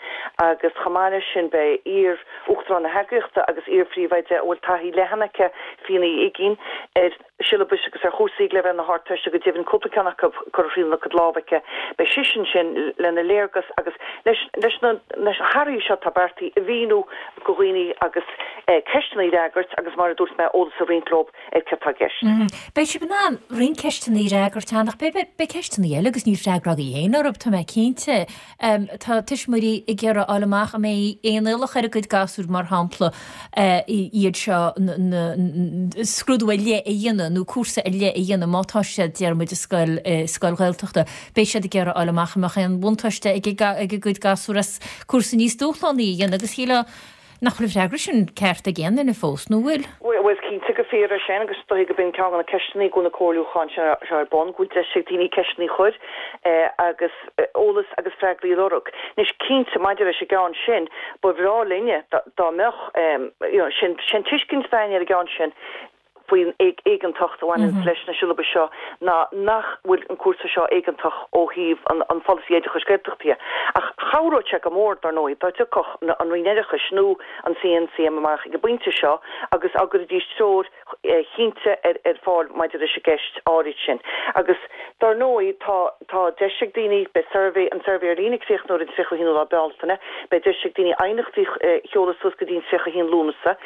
agus chomh maith leis sin beidh iar-Uachtarán na heagraíochta agus iar-Phríomhoide a bhfuil taithí leathan aici, Fíona Uí Uigínn, ar shiollabais agus ar chúrsaí ag leibhéal na hArdteiste, go deimhin cúpla ceann acu curtha thrína cuid lámh aici. Beidh sise ansin lena léargas agus leis leis na hathruithe seo atá beartaithe a mhíniú do dhaoine agus ceisteanna a fhreagairt agus mar a dúirt mé eolas a roinnt leo ar céard atá i gceist. Beidh sibh in ann roinnt ceisteanna a fhreagairt ann ach beidh ceisteanna eile agus níl freagra agaibh féin orthu, tá mé cinnte. Tá tuismitheoirí ag iarraidh a fháil amach an mbeidh aon iallach ar a gcuid gasúr, mar shampla, iad seo, scrúdú ar leith a dhéanamh nó cúrsa ar leith a dhéanamh má tá siad, déarfaidh muid, i scoil, scoil Ghaeltachta. Beidh siad ag iarraidh a fháil amach an mbeadh aon bhuntáiste ag a gcuid gasúr as cúrsa níos dúshlánaí a dhéanamh agus shílfeá Nach bhfuil an freagra sin ceart ag aon duine fós, nó bhfuil? Bhuel, is cinnte gur fíor é sin agus is dóichí gurb in ceann de na ceisteanna go bhfuil na comhairliúcháin seo ar bun, go bhfuil deis ag daoine ceisteanna a chur agus eolas agus freagraí a lorg. Anois, cinnte, maidir leis an gceann sin, ba bhreá linne dá mbeadh, you know, sin tuiscint againne ar an gceann sin, faoin éigeantacht a bhaineanns leis na siollabais seo ná nach bhfuil an cúrsa seo éigeantach ó thaobh an pholasaí oideachais Gaeltachta dhe. Ach chabhródh sé go mór, dar ndóigh, dá dtiocfadh an Roinn Oideachais nó an CNCM amach ag an bpointe seo agus dá gcuirfidís treoir chinnte ar fáil maidir leis an gceist áirid sin. Agus, dar ndóigh, tá tá deis ag daoine, beidh suirbhé, an suirbhé ar líne ag críochnú ar an 31ú lá Bealtaine, beidh deis ag daoine aighneachtaí a sheoladh suas go dtí an 31 Lúnasa.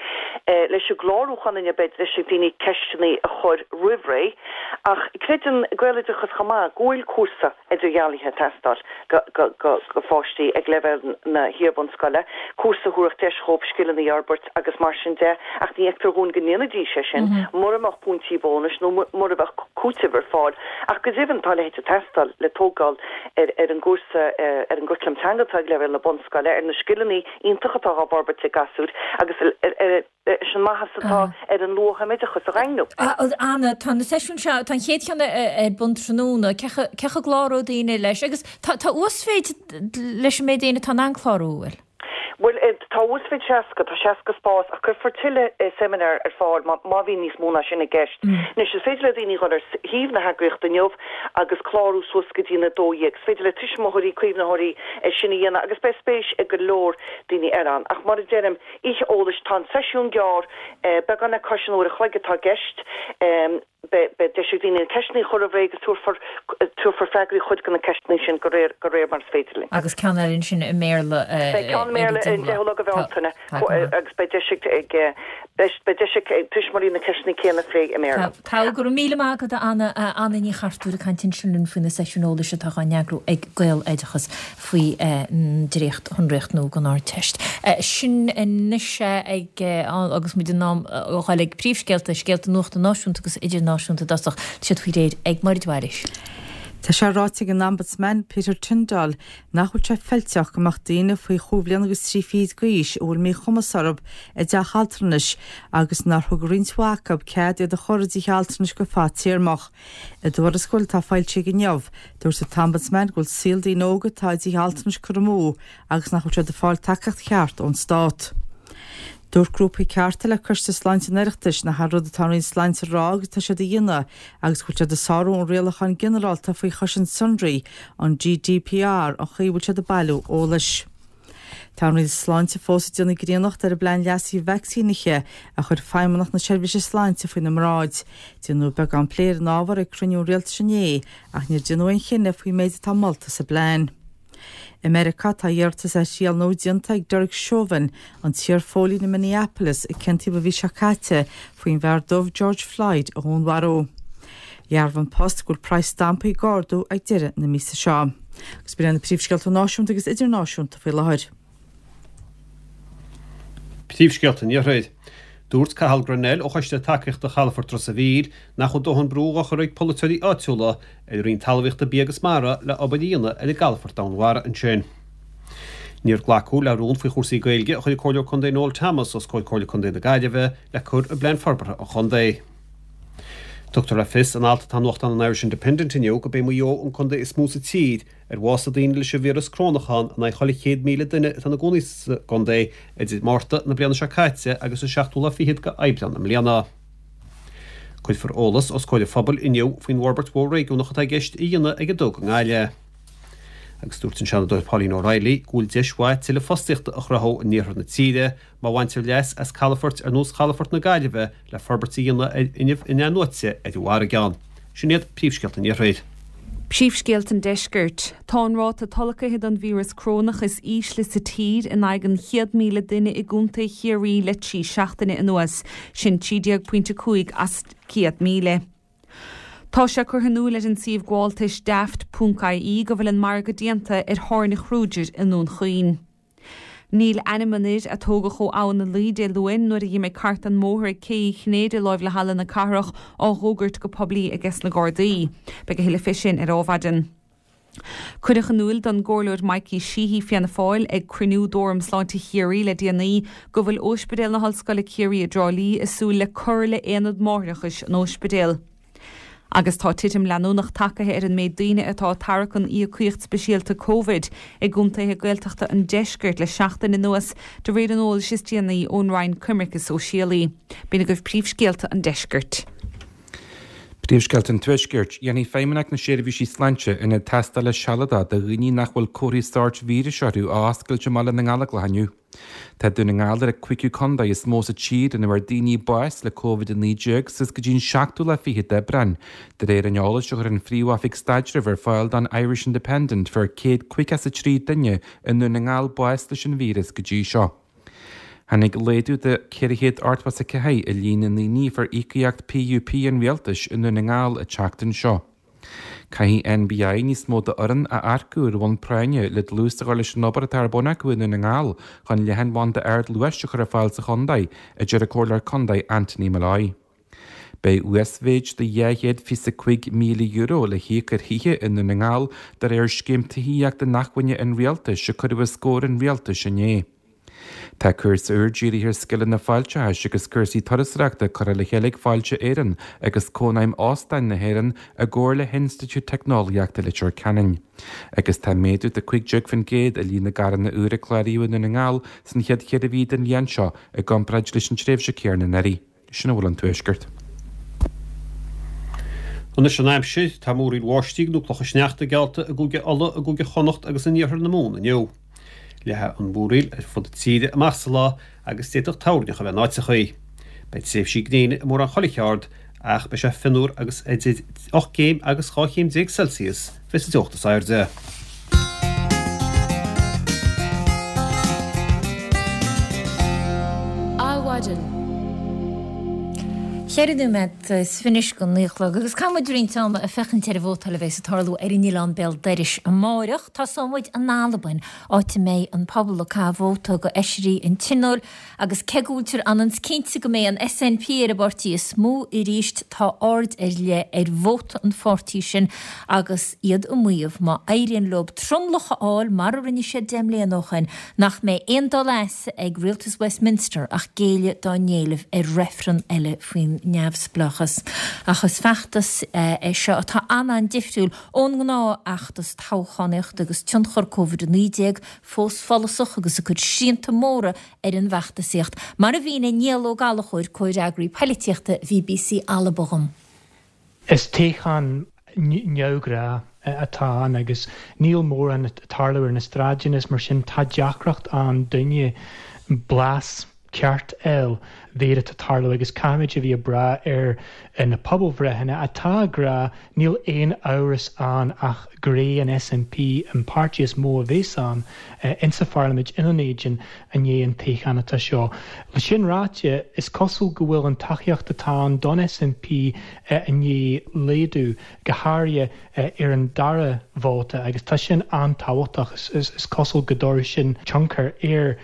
Leis an gclárúchán inniu beidh deis ag daoine ceisteanna a chur roimh ré. Ach creideann Gaeloideachas chomh maith go bhfuil cúrsa idirdhealaithe ag teastáil do pháistí ag leibhéal na hiar-bhunscoile, cúrsa a thabharfadh deis dhóibh scileanna a fhorbairt agus mar sin de, ach ní fheictear dhúinn go ndéanfaidís é sin mura mbeadh pointí bónais nó mura mbeadh cúiteamh ar fáil. Ach go deimhin, tá a leithéid ag teastáil le tógáil ar an gcúrsa, ar an gcuraclam teanga atá ag leibhéal na bunscoile, ar na scileanna iontacha atá á bhforbairt ag gasúir agus leis an maitheas atá ar an luath-thumoideachas a dhaingniú. Anna, tá na seisiúin seo, tá an chéad cheann ar bun tráthnóna, cé chaoi a gcláróidh daoine leis agus tá uasmhéid leis an méid daoine atá in ann clárú, an bhfuil? Bhuel, tá uasmhéid 60, tá 60 spás ach cuirfear tuilleadh seimineár ar fáil má bhíonn níos mó ná sin i gceist. Anois, is féidir le daoine dhul ar shuíomh na heagraíochta inniu agus clárú suas go dtí an 12. Is féidir le tuismitheoirí, caomhnaitheoirí é sin a dhéanamh agus beidh spéis ag go leor daoine eile ann. Ach mar a deirim, oíche eolais, tá an seisiún gearr, beagán le cois an uair a chloig atá i gceist. Beidh deis ag daoine na ceisteanna a chur roimh ré agus tabharfar tabharfar freagraí ar chuid de na ceisteanna sin de réir de réir mar is féidir linn. Agus ceann eile ansin i mBéarla ar Beidh ceann i mBéarla ar an 10ú lá de Bhealtaine agus beidh deis ag ag beidh deis ag tuismitheoirí na ceisteanna céanna a phlé i mBéarla. Tá. Go raibh míle maith agat a Anna. Anna Ní Chartúir ag caint ansin linn faoi na seisiúin eolais atá á n-eagrú ag Gaeloideachas. faoi dréacht-shonraíocht nua don Ardteist. Sin anois é ag agus muid in am a dhul ag príomhscéalta, scéalta nuachta náisiúnta agus idirnáisiúnta i dtosach. Tá siad faoi réir ag Máire Mhairiis. Tá sé ráite ag an Ombudsman, Peter Tyndall, nach bhfuil sé feilteach go mbeadh daoine faoi chúig bhliana agus trí fichid d'aois a bhfuil míchumas orthu i dteach altranais agus nár thug roinnt mhaith acu cead iad a chur i dtithe altranais go fadtéarmach. I dtuarascáil atá foilsithe inniu, dúirt an tOmbudsman go bhfuil saol daoine óga atá i dtithe altranais curtha amú agus nach bhfuil siad ag fáil tacaíocht cheart ón stát. Dúirt grúpa Cearta le Coiste Sláinte an Oireachtais nach é an rud atá an Roinn Sláinte a rá agus atá siad a dhéanamh agus go bhfuil siad ag sárú an Rialacháin Ginearálta faoi Chosaint Sonraí, an GDPR, an chaoi a bhfuil siad ag bailiú eolais. Tá an Roinn Sláinte fós ag déanamh grianach ar an bplean leasaithe vacsaínithe a chuir Feidhmeannacht na Seirbhíse Sláinte faoina mbráid. Déanadh beagán plé ar an ábhar ag cruinniú an Rialtais inné ach níor déanadh aon chinneadh faoin méid atá molta sa bplean. I Meiriceá tá iarratas ar thriail nua déanta ag Derek Chauvin, an t-iar-phóilín i Minneapolis a ciontaíodh an mhí seo caite faoin bhfear dubh George Floyd a dhúnmharú. Dhearbhaigh An Post go bhfuil praghas stampaí ag ardú ag deireadh na míosa seo. Agus b'in iad na príomhscéalta náisiúnta agus idirnáisiúnta faoi láthair. Príomhscéalta an Iarthair. Dúirt Cathal Grennell ó Choiste Tacaíochta Chalafort Ros a' Mhíl nach bhfuil dóthain brú á chur ag polaiteoirí áitiúla ar an Roinn Talmhaíochta, Bia agus Mara le obair a dhéanamh ar an gcalafort domhainmhara ansin. Níor glacadh le rún faoi chúrsaí Gaeilge a chuir an Comhairleoir Contae Noel Thomas os comhair Comhairle Contae na Gaillimhe le cur i bplean forbartha an chontae. Tugtar le fios in alt atá i nuachtán an Irish Independent inniu gurb é Maigh Eo an contae is mó sa tír ar bhásaigh daoine leis an víreas corónach ann in aghaidh chuile 100,000 duine atá ina gcónaí sa gcontae idir Márta na bliana seo caite agus an seachtú lá fichead de Aibreán i mbliana. Cuirfear eolas os comhair an phobail inniu faoin bhforbairt mhór réigiúnach atá i gceist a dhéanamh ag an dTug i nGaillimh. Agus dúirt an Seanadóir Pauline O'Reilly go bhfuil deis mhaith tuilleadh fostaíochta a chruthú in iarthar na tíre má bhaintear leas as calafoirt ar nós chalafort na Gaillimhe le forbairt a dhéanamh ar fhuinneamh in-athnuaite ar an bhfarraige ann. Sin iad príomhscéalta an Iarthair. Príomhscéalta an Deiscirt. Tá an ráta tolgtha don víreas corónach is ísle sa tír in aghaidh an 100,000 duine i gContae Chiarraí le 3 seachtaine anuas, sin 13.5 as 100,000. Tá sé curtha in iúl ar an suíomh gabháltais daft ponc ie go bhfuil an margadh déanta ar thábhairne Kruger i nDún Chaoin. Níl ainm an fhir a tógadh ó Abhainn na Laoi Dé Luain nuair a dh'imigh cairt den mbóthar ag Cé Uí Chinnéide láimh le Halla na Cathrach á dh'fhógairt go poiblí ages na Gardaí. Beidh a thuilleadh fé sin ar Adhmhaidin. Cuireadh in iúil don gComhairleoir Mikey Sheehy, Fianna Fáil, ag cruinniú d'Fhóram Sláinte Chiarraí le déanaí go bhfuil Óispidéal na hOllscoile Ciarraí i dTrá Lí ag súil le cur le Aonad Máithreachais an Óispidéil. Agus tá titim leanúnach tagaithe ar an méid daoine atá ag tarrac an íocaíocht speisialta Covid i gcontaetha Gaeltachta an deiscirt le seachtain anuas, de réir an eolais is déanaí ón Roinn Coimirce Sóisialaí. B'in agaibh príomhscéalta an deiscirt. Príomhscéalta an Tuaiscirt. Déanfaidh Feidhmeannacht na Seirbhísí Sláinte ionad tástála sealadach do dhaoine nach bhfuil comharthaí sóirt víris orthu a oscailt i mBaile na nGallóglach inniu. Tá Dún na nGall ar an cúigiú contae is mó sa tír ina bhfuair daoine bás le Covid-19 suas go dtí an seachtú lá fichead d'Aibreán. De réir an eolais a chuir an Phríomh-Oifig Staidrimh ar fáil don Irish Independent fuair 153 duine i nDún na nGall bás leis an víreas go dtí seo. Tháinig laghdú de 484 i líon na ndaoine a fuair íocaíocht PUP an Rialtais i nDún na nGall an tseachtain seo. Caithfidh NBI níos mó d'fhoireann a earcú ar bhonn práinne le dlús a chur leis an obair atá ar bun acu i nDún na nGall chun leathanbhanda ardluais a chur ar fáil sa chontae, a deir an Comhairleoir Contae Anthony Molloy. Beidh uasmhéid de €225,000 le híoc ar thithe i nDún na nGall de réir Scéim Tithíochta Inacmhainne an Rialtais a cuireadh os comhair an Rialtais inné. Tá cúrsa úr dírithe ar scileanna fáilteachais agus cúrsaí turasóireachta curtha le chéile ag Fáilte Éireann agus Cónaidhm Óstáin na hÉireann i gcomhar le hInstitiúid Teicneolaíochta Leitir Ceanainn. Agus tá méadú de 15% i líon na gcarranna úr a cláraíodh i Ndún na nGall san chéad cheithre mhí den bhliain seo i gcomparáid leis an tréimhse céanna anuraidh. Sin a bhfuil ón Tuaisceart. Anois an aimsir, tá múraíl bháistí nó clocha sneachta geallta i gCúige Uladh, i gCúige Chonnacht agus in iarthar na Mumhan inniu. Leathfaidh an mhúraíl ar fud na tíre amach sa lá agus d'fhéadfadh toirneach a bheith in áiteachaí. Beidh tréimhsí gréine i mórán chuile cheard ach beidh sé fionnuar agus idir 8 gcéim agus 12 chéim Celsius a bheas an teocht is airde. Adhmhaidin. Cheithre nóiméad is fiche go naoi a chlog agus caithfidh muid roinnt ama ag féachaint ar an vótáil a bheas ag tarlú ar an oileán béal dorais amáireach. Tosóidh muid in Albain, áit a mbeidh an pobal ag caitheamh vóta do fheisirí an Tionóil Agus cé go bhfuiltear ionann 's cinnte go mbeidh an SNP ar an bpáirtí is mó arís, tá aird ar leith ar vóta an pháirtí sin agus iad ag maíomh, má éiríonn leo tromlach a fháil mar a rinne siad 10 mbliana ó shin, nach mbeidh aon dul as ag rialtas Westminster ach géilleadh dá n-éileamh ar reifreann eile faoin neamhspleáchas. Ach is feachtas é seo atá an-an-difriúil ón ngnáthfheachtas toghchánaíochta agus tionchar Covid-19 fós follasach agus ag cur srianta móra ar an bhfeachtasaíocht, mar a mhínigh Niall Ó Gallchóir, comhfhreagraí poilitíochta BBC Alba dhom. Is toghchán neamhghnách atá ann agus níl mórán ag tarlú ar na stráideanna is mar sin tá deacracht ann duine blas ceart a fháil céard atá ag tarlú agus caithfimid a bheith ag brath ar na pobalbhreitheanna atá ag rá níl aon amhras ann ach gur é an SNP an páirtí is mó a bheas ann insa pharlaimint i nDún Éideann i ndiaidh an toghcháin atá seo. Le sin ráite, is cosúil go bhfuil an tacaíocht atá ann don SNP i ndiaidh laghdú, go háirithe ar an dara vóta agus tá sin an-tábhachtach. Is cosúil go dtabharfaidh sin tionchar ar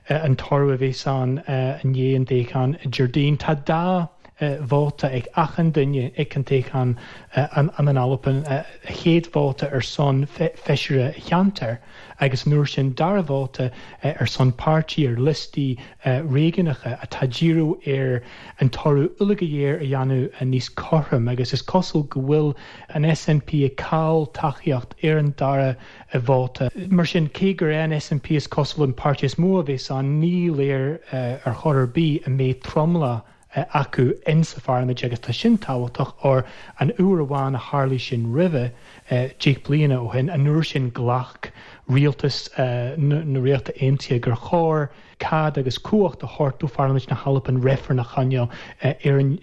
an toradh a bheas ann i ndiaidh an toghcháin Déardaoin. Tá dá vóta ag achan duine ag an toghchán in Albain, a chéad vóta ar son feisire cheantair agus an uair sin dara vóta ar son páirtí ar liostaí réigiúnacha atá díriú ar an toradh uilig go léir a dhéanamh níos cothrom agus is cosúil go bhfuil an SNP ag cailleadh tacaíocht ar an dara vóta. Mar sin, cé gur é an SNP is cosúil an páirtí is mó a bheas ann, ní léir ar chor ar bith an mbeidh tromlach. acu in sa pharlaimint agus tá sin tábhachtach óir an uair amháin a tharlaigh sin roimhe, 10 bliana ó shin, an uair sin ghlac rialtas na Ríochta Aontaithe gur chóir cead agus cumhacht a thabhairt do Pharlaimint na hAlban reifreann a choinneáil ar an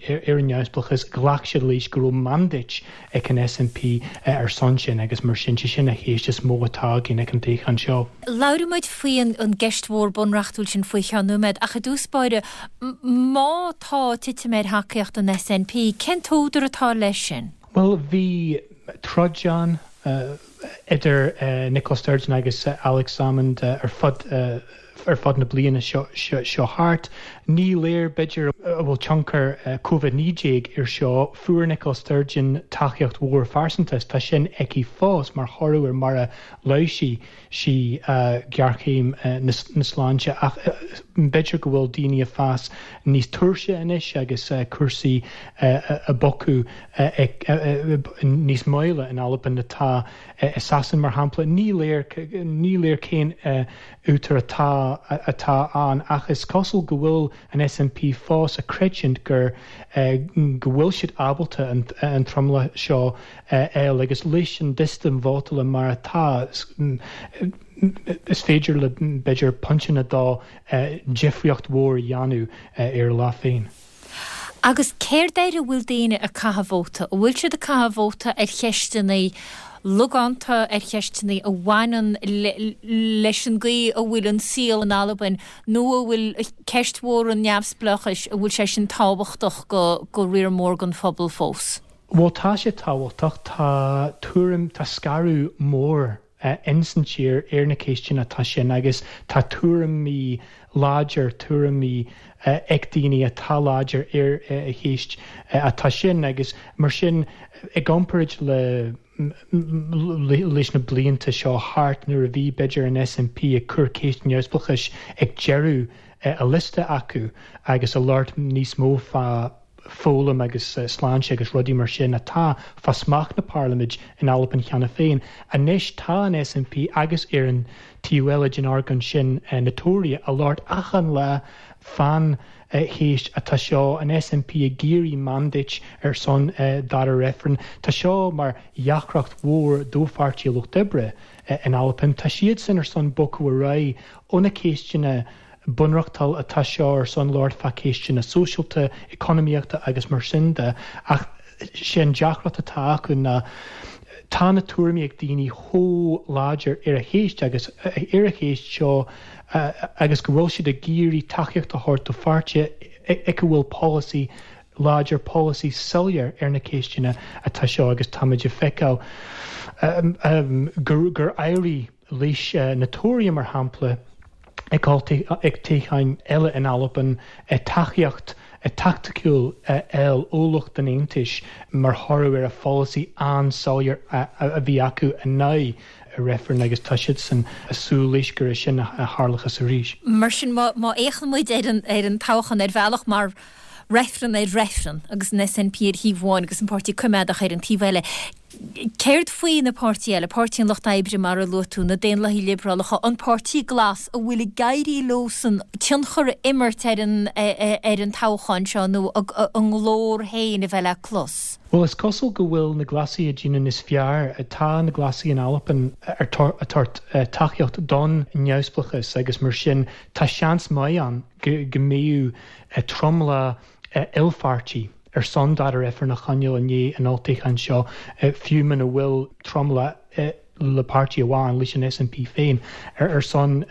neamhspleáchas. Ghlac siad leis go raibh mandate ag an SNP ar son sin agus mar sin, sé sin an cheist is mó atá againn ag an toghchán seo. Labhróidh muid faoi an gceist mhór bunreachtúil sin faoi cheann nóiméad ach i dtús báire, má tá titim ar thacaíocht an SNP, cén t-údar atá leis sin? Bhuel, bhí troid ann idir Nicola Sturgeon agus Alex Salmond ar fud ar fud na bliana seo seo thart. Ní léir, b'fhéidir, an bhfuil tionchar Covid-19 ar seo. Fuair Nicola Sturgeon tacaíocht mhór phearsanta is tá sin aici fós mar thoradh ar mar a láimhsigh sí géarchéim na sláinte ach b'fhéidir go bhfuil daoine ag fás níos tuirse anois agus cúrsaí ag bogadh níos moille in Albain atá i Sasain mar shampla. Ní léir ní léir cén údar atá atá ann ach is cosúil go bhfuil an SNP fós ag creidiúint gur go bhfuil siad ábalta an tromlach seo a fháil agus leis an sistem vótála mar atá is féidir le b'fhéidir pointe nó dó difríocht mhór a dhéanamh ar a lá féin. Agus céard air a bhfuil daoine ag caitheamh vóta? An bhfuil siad ag caitheamh vóta ar cheisteanna logánta, ar cheisteanna a bhaineann leis an gcaoi a bhfuil an saol in Albain, nó an bhfuil ceist mhór an neamhspleáchais, an bhfuil sé sin tábhachtach go riar mór den phobal fós? Bhuel, tá sé tábhachtach. Tá tuairim, tá scaradh mór ins an tír ar na ceisteanna atá sin agus tá tuairimí láidir, tuairimí ag daoine atá láidir ar a cheist atá sin agus mar sin i gcomparáid le leis na blianta seo thart nuair a bhí b'fhéidir an SNP ag cur ceist neamhspleáchais ag deireadh a liosta acu agus ag labhairt níos mó fá foghlaim agus sláinte agus rudaí mar sin atá fá smacht na Parlaiminte in Albain cheana féin. Anois tá an SNP agus ar an taobh eile den argóint sin na Tóraithe ag labhairt achan lá fán cheist atá seo, an SNP ag iarraidh mandate ar son dara reifreann. Tá seo mar dheacracht mhór do Pháirtí an Lucht Oibre in Albain. Tá siadsan ar son bogadh ar aghaidh ó na ceisteanna bunreachtúil atá seo ar son labhairt fá ceisteanna sóisialta, economaíochta agus mar sin de ach sé an deacracht atá acu ná tá na tuairimí ag daoine chomh láidir ar a cheist agus ar a cheist seo agus go bhfuil siad ag iarraidh tacaíocht a thabhairt do pháirtí ag a bhfuil polasaí láidir, polasaí soiléir ar na ceisteanna atá seo agus táimid ag feiceáil gur éirigh leis na Tóraithe mar shampla ag toghcháin eile in Albain tacaíocht taicticiúil a fháil ó lucht an Aontais mar thoradh ar a pholasaí an-soiléir a bhí acu in aghaidh reifrinn agus tá siadsan ag súil leis gur é sin a tharlóchas arís. Mar sin, má fhéachann muid ar an toghchán ar bhealach mar reifreann ar reifreann agus an SNP ar thaobh amháin agus an Páirtí Coimeádach ar an taobh eile, Céard faoi na páirtí eile, Páirtí an Lucht Oibre mar a luaigh tú, na Daonlathaigh Liobrálacha, an Páirtí Glas, an bhfuil ag éirí leosan tionchar a imirt ar an ar an toghchán seo nó a nglór féin a bheith le clos? Bhuel, is cosúil go bhfuil na Glasaigh ag déanamh níos fearr. Tá na Glasaigh in Albain ag tabhairt tacaíocht don neamhspleáchas agus mar sin tá seans maith ann go mbeidh tromlach ilpháirtí ar son dara reifreann a choinneáil i ndiaidh an olltoghcháin seo, fiú muna bhfuil tromlach le páirtí amháin, leis an SNP féin, ar son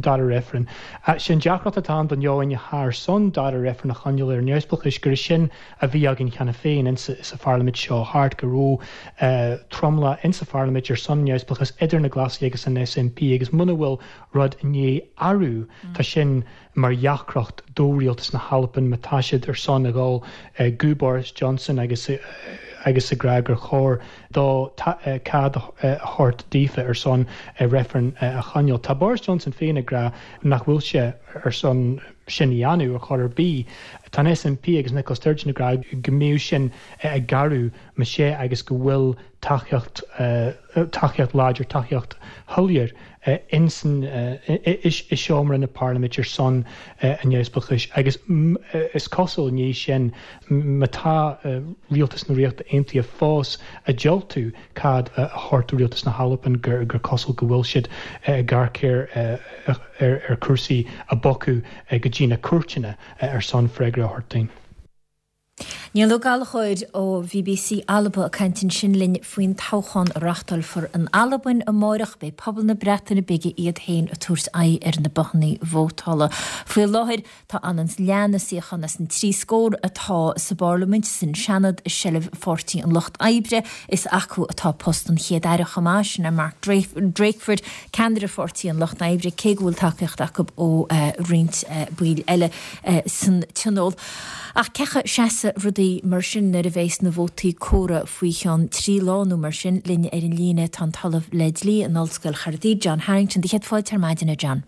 dara reifreann. Sé an deacracht atá ann don éinne atá ar son dara reifreann a choinneáil ar neamhspleáchas gur é sin a bhí againn cheana féin insa pharlaimint seo thart, go raibh tromlach insa pharlaimint ar son neamhspleáchas idir na Glasaigh agus an SNP agus muna bhfuil rud i ndiaidh athrú, tá sin mar dheacracht do rialtas na hAlban má tá siad ar son a dhul go Boris Johnson agus agus ag rá gur chóir dó cead a thabhairt daofa ar son reifreann a choinneáil. Tá Boris Johnson féin ag rá nach bhfuil sé ar son. sin a dhéanamh ar chor ar bith. Tá an SNP agus Nicola Sturgeon ag rá go mbeadh sin ag gearradh más ea agus go bhfuil tacaíocht, tacaíocht láidir, tacaíocht shoiléir ins an, i seomra na parlaiminte ar son an neamhspleáchais agus is cosúil i ndiaidh sin má tá rialtas na Ríochta Aontaithe fós ag diúltú cead a thabhairt do rialtas na hAlban gur cosúil go bhfuil siad ag amharc ar ar chúrsaí a bhogfadh go dtí na cúirteanna ar son freagra a thabhairt dúinn. Niall Ó Gallchóir ó BBC Alba ag caint ansin linn faoin toghchán a reáchtálfar in Albain amáireach. Beidh pobal na Breataine Bige iad féin ag tabhairt aghaidh ar na bothannaí vótála. Faoi láthair tá ionann is leath na suíochán as an 3 scór atá sa bParlaimint, san Seanad, i seilbh Pháirtí an Lucht Oibre. Is acu atá post an Chéad-Aire chomh maith, sin é Mark Drakeford, ceannaire Pháirtí an Lucht Oibre, cé go bhfuil tacaíocht acu ó roinnt baill eile san Tionól. Ach cén chaoi a seasfaidh rudaí mar sin nuair a bheas na vótaí comhairthe faoi cheann 3 lá nó mar sin? Linn ar an líne tá an tOllamh le Dlí in Ollscoil Chaerdydd, John Harrington. Do chéad fáilte ar maidin, a John.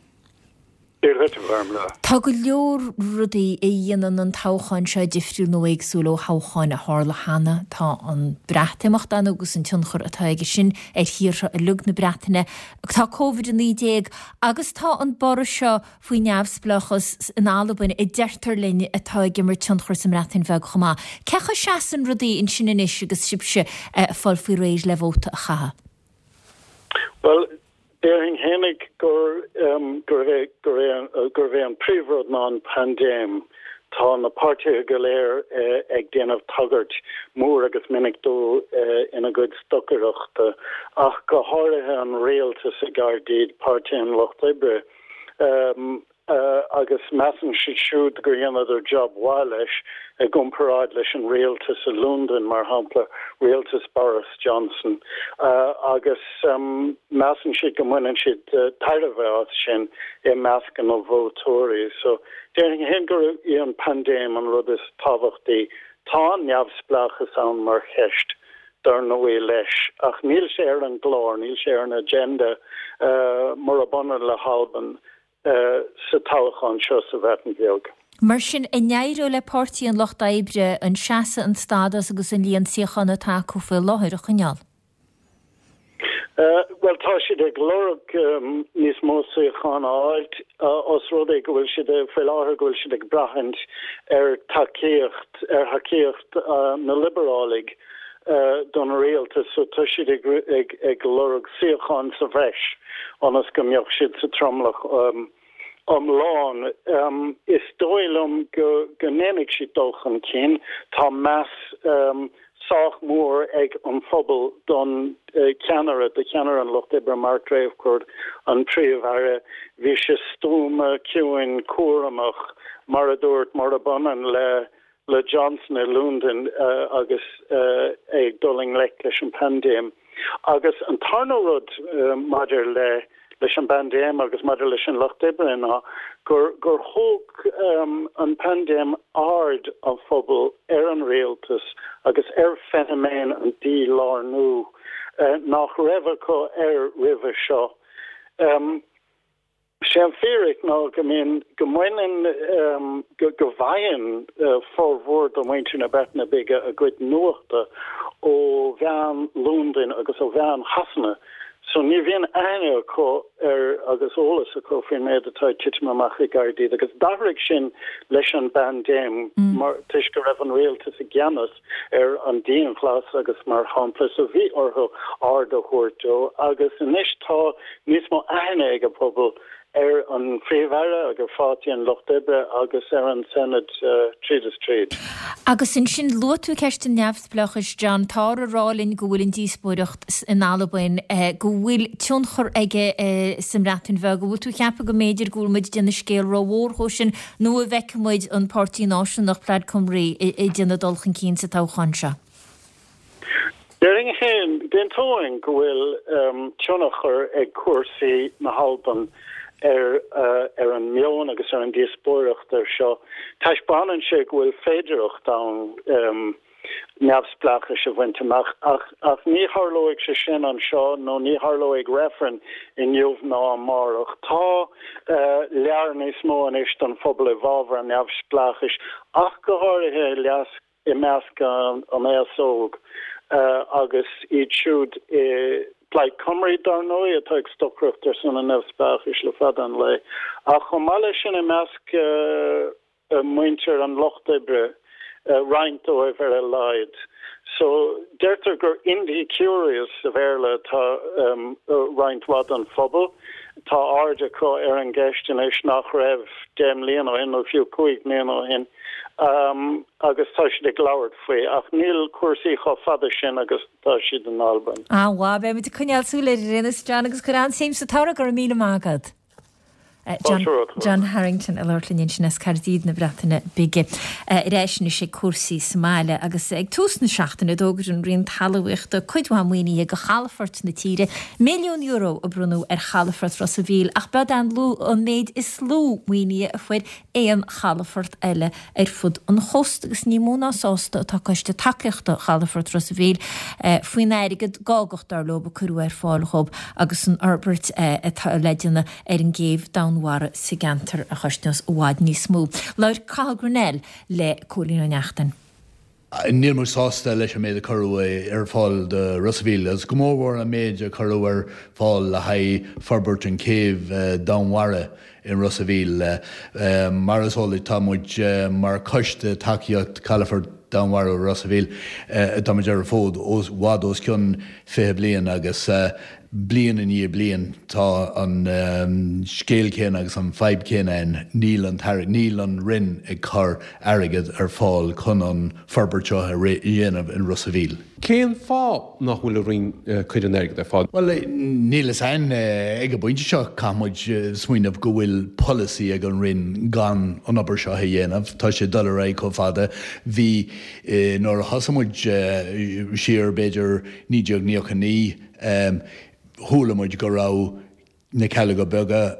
Dia dhuit, a Ghormlaith. Tá go leor rudaí a dhéanann an toghchán seo difriúil nó éagsúil ó thoghcháin a tharla cheana. Tá an Breatimeacht ann agus an tionchar atá aige sin ar thíortha uilig na Breataine. Tá Covid-19 agus tá an borradh seo faoi neamhspleáchas in Albain, a deirtear linn, atá ag imirt tionchar sa mBreatain Bheag chomh maith. Cén chaoi a seasann rudaí ansin anois agus sibhse ag fáil faoi réir le vóta a chaitheamh? Bhuel, déarfainn fhéinig gur gurbh é gurbh é an príomhrud ná an paindéim. Tá na páirtithe go léir ag déanamh tagairt mór agus minic dó ina gcuid stocaireachta, ach go háirithe an rialtas i gCaerdydd, Páirtí an Lucht Oibre. Agus measann siad siúd gur dheineadar job mhaith leis i gcomparáid leis an rialtas i Londain, mar shampla, rialtas Boris Johnson. Agus measann siad go mbaineann siad tairbhe as sin i measc na vótóirí. So, déarfainn féin gurb í an paindéim an rud is tábhachtaí. Tá an neamhspleáchas ann mar cheist. dar ndóigh, leis, ach níl sé ar an gclár, níl sé ar an agenda, murab ionann le hAlbain, sa toghchán seo sa Bhreatain Bheag. Mar sin, an éireoidh le Páirtí an Lucht Oibre an seasamh, an stádas agus an líon suíochán atá acu faoi láthair a choinneáil? Bhuel, tá siad ag lorg níos mó suíochán a fháilt, os rud é go bhfuil siad, faoi láthair, go bhfuil siad ag braithint ar tacaíocht, ar thacaíocht na Liobarálaigh don rialtas, so tá siad ag, ag, ag lorg suíochán sa bhreis ionas go mbeadh siad sa tromlach iomlán. Is dóigh liom go, go ndéanfaidh siad dul chun cinn. Tá meas sách mór ag an phobal don cheannaire, do cheannaire an Lucht Oibre, Mark Drakeford, an Príomh-Aire. Bhí sé stuama, ciúin, cúramach, mar a dúirt, murab ionann le le Johnson i Londain agus é ag dul i ngleic leis an bpaindéim. Agus an tarna rud maidir le leis an bpaindéim agus maidir leis an Lucht Oibre ná gur gur thóg an paindéim aird an phobail ar an rialtas agus ar feiniméan an dílárnú nach raibh acu air roimhe seo. Sé an fíric ná go mbíonn, go mbaineann, go bhfaigheann formhór de mhuintir na Breataine Bige a gcuid nuachta ó mheáin Londain agus ó mheáin Shasana so ní bhíonn aithne acu ar agus eolas acu faoin méid atá ag titim amach i gCaerdydd agus d'athraigh sin leis an bpaindéim mar toisc go raibh an rialtas i gceannas ar an dianghlas agus mar shampla so bhí orthu aird a thabhairt dó agus anois tá níos mó aithne ag an bpobal ar an Phríomh-Aire agus ar Pháirtí an Lucht Oibre agus ar an Senedd tríd is tríd. Agus ansin luaigh tú ceist an neamhspleáchais, John. Táthar ag rá linn go bhfuil an díospóireacht in Albain, go bhfuil tionchar aige sa mBreatain Bheag. An bhfuil tú ag ceapadh go mb'fhéidir go bhfuil muid ag déanamh scéal rómhór dhó sin nó an bhfeicfidh muid an Páirtí Náisiúnach, Plaid Cymru, ag déanamh dul chun cinn sa toghchán seo? Déarfainn féin, d'aontóinn go bhfuil tionchar ag cúrsaí na hAlban ar ar an meon agus ar an díospóireacht ar seo. Taispeánann sé go bhfuil féidearthacht ann. Neamhspleáchais a bhaint amach. Ach ach ní tharlóidh sé sin anseo nó ní tharlóidh reifreann inniu ná amárach. Tá lear níos mó anois don phobal i bhfabhar an neamhspleáchais ach go háirithe i leas i measc an aos óg agus iad siúd i Plaid Cymru, dar ndóigh, atá ag stocaireacht ar son an neamhspleáchais le fada an lae. Ach chomh maith leis sin i measc muintir an lucht oibre, roinnt dóibh ar a laghad. So, deirtear gur indie-curious sa Bhéarla atá roinnt mhaith den phobal. Tá aird acu ar an gceist anois nach raibh 10 mbliana ó shin nó fiú 5 mbliana ó shin agus tá siad ag labhairt faoi ach níl cúrsaí chomh fada sin agus atá siad in Albain. An-mhaith, beidh muid ag coinneáil súil air ar aon nós, John, agus cuir an-suim sa toradh, go raibh míle maith agat. John Harrington ag labhairt linn ansin as Caerdydd na Breataine Bige. Ar ais anois ag cúrsaí sa mbaile agus ag tús na seachtaine d'fhógair an Roinn Talmhaíochta cuid mhaith maoinithe do chalafoirt na tíre, €1 milliún a bronnadh ar chalafort Ros a' Mhíl ach b'iod an an méid is lú maoinithe a fuair aon chalafort eile ar fud an chósta agus ní mó ná sásta atá Coiste Tacaíochta Chalafort Ros a' Mhíl faoin airgead gágach, dar leo, a cuireadh ar fáil dhóibh agus an fhorbairt atá le déanamh ar an gcéibh domhainmhara sa gceantar a chosnós i bhfad níos mó. Labhair Cathal Grennell le Cóilín Ó Neachtain. Níl muid sásta leis an méid a cuireadh ar fáil do Ros a' Mhíl, agus go mórmhór an méid a cuireadh ar fáil le haghaidh forbairt an chéibh domhainmhara in Ros a' Mhíl. Mar is eol duit, tá muid mar choiste tacaíocht Chalafort Domhainmhara Ros a' Mhíl, tá muid ar an bhfód i bhfad os cionn 20 bliain agus Bliain i ndiaidh bliain tá an scéal céanna agus an fadhb chéanna ann, níl an t-airgead, níl an Roinn ag cur airgead ar fáil chun an forbairt seo a dhéanamh in Ros a' Mhíl. Cén fáth nach bhfuil an Roinn ag cur an airgead ar fáil? Bhuel, níl fhios a'inn. Ag an bpointe seo caithfidh muid smaoineamh go bhfuil polasaí ag an Roinn gan an obair seo a dhéanamh. Tá sé ag dul ar aghaidh chomh fada. Bhí, nuair a thosaigh muid siar b'fhéidir 1999, Chuala muid go raibh na Cealga Beaga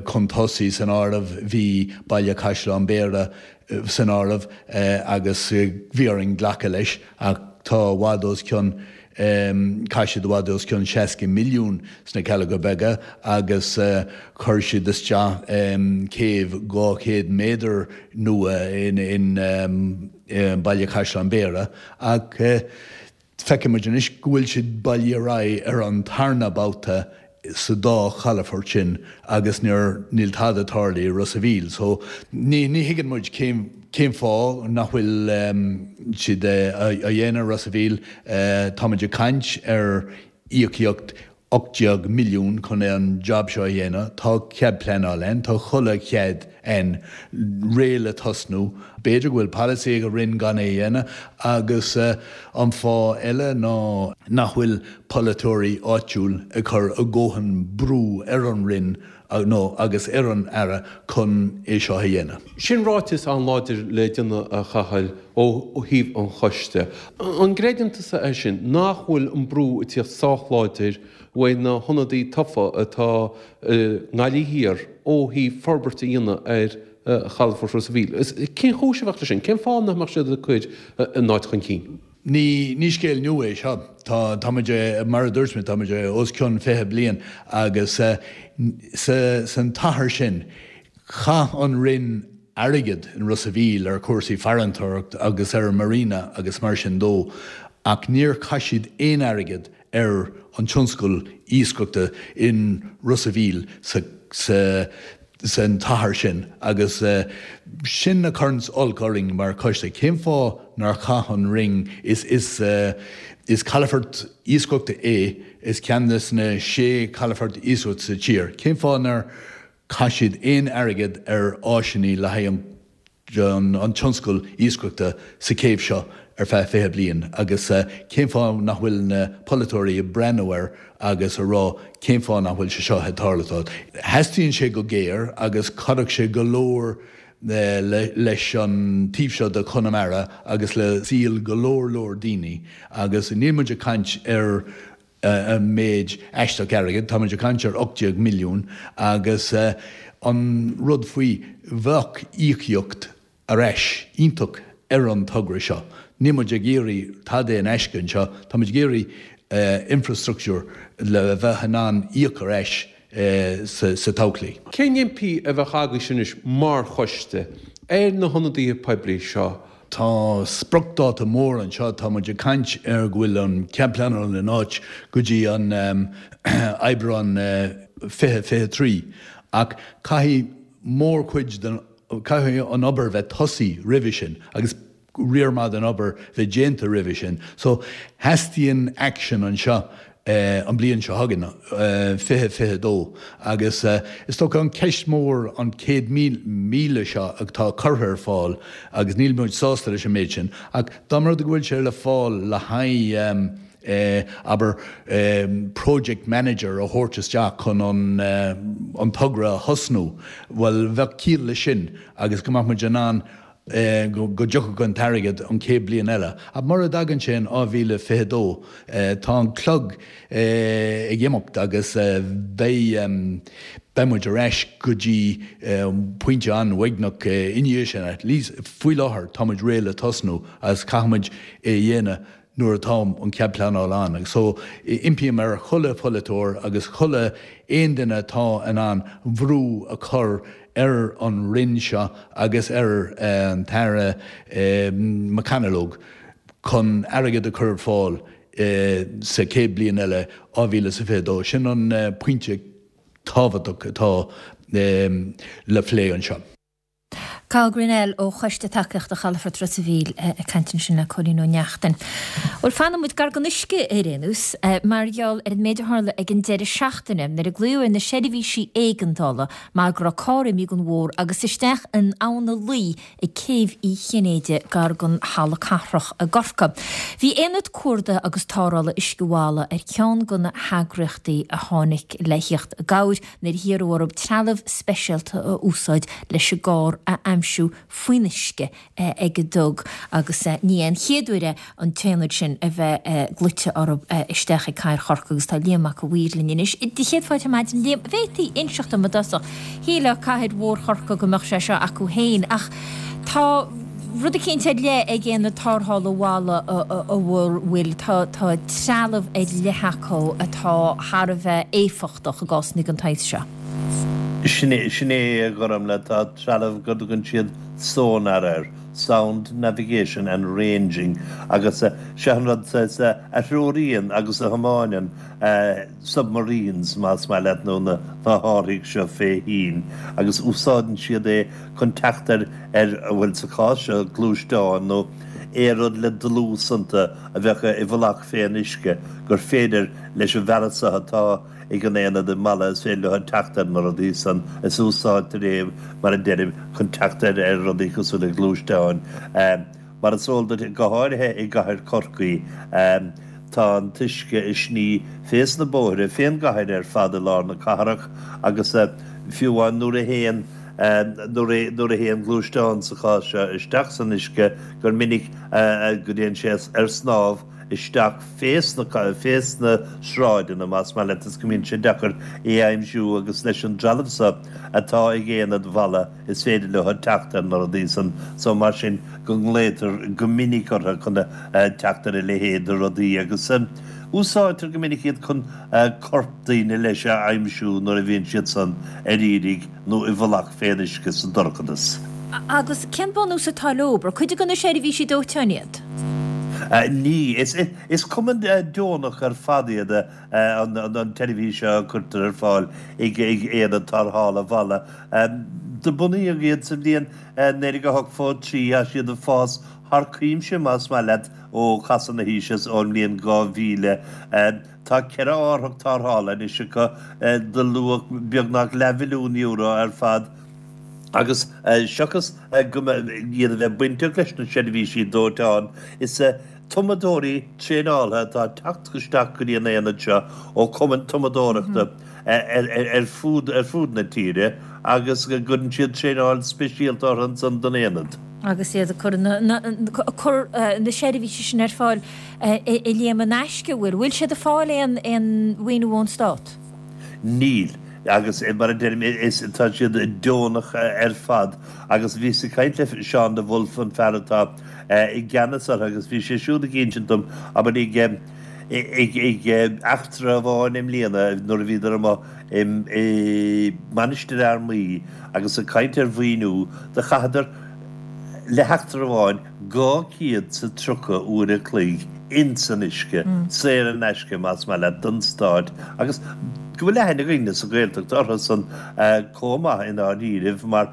chun tosaigh san áireamh, bhí Baile Caisleán Béarra san áireamh agus bhí orainn glacadh leis ach tá i bhfad os cionn, chaith siad i bhfad os cionn 60 milliún sna Cealga Beaga agus chuir siad isteach céibh 200 méadar nua in Baile Caisleán Béarra ach Feiceann muid anois go bhfuil siad bailithe ar aghaidh ar an tarna babhta sa dá chalafort sin agus níor, níl tada tarlaithe i Ros a' Mhíl. So ní, ní thuigeann muid cén, cén fáth nach bhfuil siad á dhéanamh i Ros a' Mhíl. Táimid ag caint ar íocaíocht 18 milliún chun an job seo a dhéanamh. Tá cead pleanála ann, tá chuile chead ann, réidh le tosnú. B'fhéidir go bhfuil polasaí ag an Roinn gan é a dhéanamh agus an fáth eile ná nach bhfuil polaiteoirí áitiúil ag cur a dhóthain brú ar an Roinn nó agus ar an Aire chun é seo a dhéanamh. Sin ráiteas an-láidir le déanamh, a Chathail, ó thaobh an choiste. An gcreideann tusa é sin, nach bhfuil an brú ag tíocht sách láidir uaidh na hionadaí tofa atá i nGaillimh Thiar ó thaobh forbairt a dhéanamh ar chalafort Ros a' Mhíl? Cén chúis a bheadh leis sin? Cén fáth nach mbeadh siad ag cur an áit chun cinn? Ní, ní scéal nua é seo. Tá, tá muid, mar a dúirt mé, tá muid os cionn 20 bliain agus sa, san t-achar sin, chaith an Roinn airgead in Ros a' Mhíl ar chúrsaí farantóireacht agus ar an marina agus mar sin dó ach níor chaith siad aon airgead ar an tionscal iascaireachta in Ros a' Mhíl sa, sa, san t-achar sin agus sin a chuireanns olc orainn mar choiste. Cén fáth nár chaith an Roinn, is, is, is calafort iascaireachta é, is ceann de na sé chalafort iascaireachta sa tír, cén fáth nár chaith siad aon airgead ar áiseanna le haghaidh an an tionscal iascaireachta sa chéibh seo ar feadh 20 bliain agus cén fáth nach bhfuil na polaiteoirí ag breathnú air agus a rá cén fáth nach bhfuil sé seo ag tarlú. Theastaíonn sé go géar agus chuirfeadh sé go leor leis an taobh seo de Chonamara agus le saol go leor leor daoine agus níl muid ag caint ar méid aisteach airgid, táimid ag caint ar 18 milliún agus an rud faoi, bheadh íocaíocht ar ais iontach ar an togra seo. Níl muid ag iarraidh tada in aisce anseo, tá muid ag iarraidh infrastructúr le bheith in ann íoc ar ais sa todhchaí. Cén impí a bheadh agaibhse anois mar choiste ar na hionadaithe poiblí seo? Tá spriocdháta mór anseo, tá muid ag caint ar go bhfuil an cead pleanála in áit go dtí an Aibreán 2023 ach caithfidh mórchuid den, caithfidh an obair bheith tosaithe roimhe sin agus riar maith den obair bheith déanta roimhe sin. So, theastaíonn action anseo an bliain seo chugainn, 2022, agus is dócha an ceist mór an 100,000 seo atá curtha ar fáil agus níl muid sásta leis an méid sin ach dá mba rud go bhfuil sé le fáil le haghaidh abair project manager a thabhairt isteach chun an togra a thosnú, bhuel bheadh ciall leis sin agus go mbeadh muid in ann go dtiocfadh an t-airgead an chéad bliain eile. Ach mura dtagann sé in 2022, tá an clog ag imeacht agus beidh beidh muid ar ais go dtí pointe an-uaigneach i ndiaidh sin. At least faoi láthair tá muid réidh le tosnú agus caithfidh muid é a dhéanamh nuair atá an cead pleanála ann. Agus so impím ar chuile pholaiteoir agus chuile aon duine atá in ann bhrú a chur ar an Roinn seo agus ar an tAire McConalogue chun airgead a chur ar fáil sa chéad bliain eile, 2022. Sin an pointe tábhachtach atá le plé anseo. Cathal Grennell ó Choiste Tacaíochta Chalafort Ros a' Mhíl ag caint ansin le Cóilín Ó Neachtain. Bhuel, fanfaidh muid gar don uisce ar aon nós, mar gheall ar an méid a tharla ag an deireadh seachtaine nuair a glaodh ar na seirbhísí éigeandála mar go raibh carr imithe den bhóthar agus isteach in Abhainn na Laoi ag Céibh Uí Chinnéide gar don Halla Cathrach i gCorcaigh. Bhí Aonad Cuardaithe agus Tarrthála Uisce Mhalla ar cheann de na heagraíochtaí a tháinig le thíocht i gcabhair nuair a hiarradh orthu trealamh speisialta a úsáid leis an gcarr a aimsiú faoin uisce ag an dTug agus ní hé an chéad uair é an t-aonad sin a bheith glaoite orthu isteach ag Cathair Chorcaí agus tá Liam Mac a' Mhaoir linn anois. Do chéad fáilte ar maidin Liam. Bhféadfaí inseacht dom i dtosach, shílfeá cathair mhór Chorcaí go mbeadh sé seo acu féin ach tá rud eicínt ar leith ag Aonad Tarrthála Mhala a bhfuil, tá trealamh ar leith acu atá thar a bheith éifeachtach. i gcásanna den tsaghas seo. Sin é, sin é, a Ghormfhlaith, tá trealamh go dtugann siad sonar air, Sound Navigation and Ranging, agus sé an rud a threoraíonn agus a thiomáineann submarines, más maith leat, nó na hárthaigh seo fé thoinn, agus úsáideann siad é chun teacht ar, ar, bhuel, sa chás seo, gluaisteáin nó aon rud le dlús iontu a bheadh i bhfolach fén uisce, gur féidir leis an bhfearas seo atá ag an aonad i Mala, is féidir leo teacht ar na rudaí san, is úsáidtear é, mar a deirim, chun teacht ar ar rudaí cosúil le gluaisteáin. Mar is eol duit, go háirithe i gcathair Chorcaí, tá an t-uisce ag sní fés na bóithre, fén gcathair ar fad i lár na cathrach agus fiú amháin nuair a théann nuair a théann gluaisteán sa chás seo isteach san uisce gur minic go dtéann sé ar snámh isteach fés na fés na sráideanna, más maith leat, is go mbíonn sé deacair é a aimsiú agus leis an dtrealamh so atá ag aonad Mhala is féidir leo teacht ar na rudaí san so mar sin go nglaotar go minic orthu chun teacht ar a leithéid de rudaí agus úsáidtear go minic iad chun corp daoine leis a aimsiú nuair a bhíonn siad san ar iarraidh nó i bhfolach fén uisce sa dorchadas. Agus cén bunús atá leo? Ar cuid de na seirbhísí dóiteáin iad? Ní. Is cumann deonach ar fad iad an tseirbhís seo a cuirtear ar fáil ag Aonad Tarrthála Mhala. Do bunaíodh iad sa bhliain 1983. Tá siad ag fás thar cuimse, más maith leat, ó chasadh na haoise is ón mbliain 2000. Tá 4 árthach tarrthála anois acu de luach beagnach leathmhilliún euro ar fad agus seachas go iad a bheith bainteach leis na seirbhísí dóiteáin, is tumadóirí traenáilte atá ag teacht isteach go dtí an aonad seo ó chumainn tumadóireachta ar fud ar fud na tíre agus go gcuireann siad traenáil speisialta orthu ansan don aonad. Agus iad ag cur na cur na seirbhísí sin ar fáil a Liam in aisce, an bhfuil? Bhfuil siad ag fáil aon aon mhaoiniú ón Stát? Níl. Agus mar a deirim, is tá siad deonach ar fad. Agus bhíos ag caint le Seán de Bhulf, an fear atá i gceannas orthu, agus bhí sé siúd ag insint dom, abair, ag ag eachtra amháin i mbliana nuair a bhíodar amuigh i Mainistir Fhear Maí agus ag caint ar mhaoiniú, do chaitheadar le heachtra amháin 230 uair a chloig ins an uisce, saor in aisce más maith leat, don Stát agus go bhfuil aithne againne sa Ghaeltacht orthu san chomh maith i ndáiríribh mar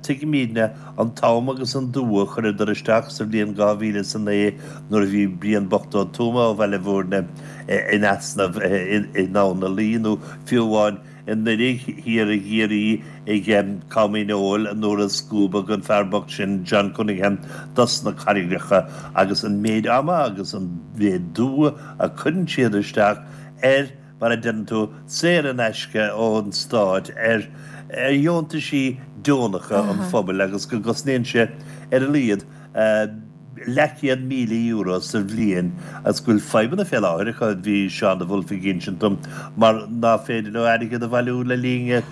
tuigimídne an t-am agus an dua a chuireadar isteach sa bhliain 2009 nuair a bhí Brian bocht Ó Tuama ó Bhaile Bhúirne in easnamh in Abhainn na Laoi nó fiú amháin i nDoire thiar i gCiarraí ag Com Dhíneol nuair a scuabadh an fear bocht sin John Cunningham dos na carraigreacha agus an méid ama agus an mhéid dua a cuireann siad isteach ar mar a deireann tú, saor in aisce ón Stát ar dheontaisí deonacha an phobail agus go gcosnaíonn sé ar a laghad leathchéad €1,000 sa bhliain agus go bhfuil fadhbanna fé láthair acu, bhí Seán de Bhulf ag insint dom, mar ná féidir leo airgead a bhailiú le linn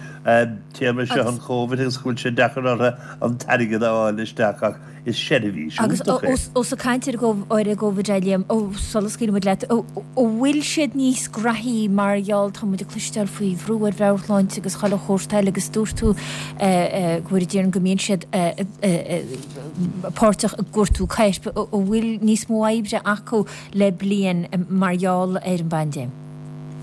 téarma seo an Chóivid agus go bhfuil sé deacair orthu an t-airgead a fháil isteach ach is seirbhís Agus iontach é. ós ag caint ar an gCóivid a Liam, sula scaoilfidh muid leat, an bhfuil siad níos graithí mar gheall, tá muid ag cloisteáil faoi bhrú ar mheabhairshláinte agus chuile shórt eile agus dúirt tú go bhfuil déarfainn go mbíonn siad páirteach i gcuartú coirp, an bhfuil níos mó oibre acu le bliain mar gheall ar an bpaindéim?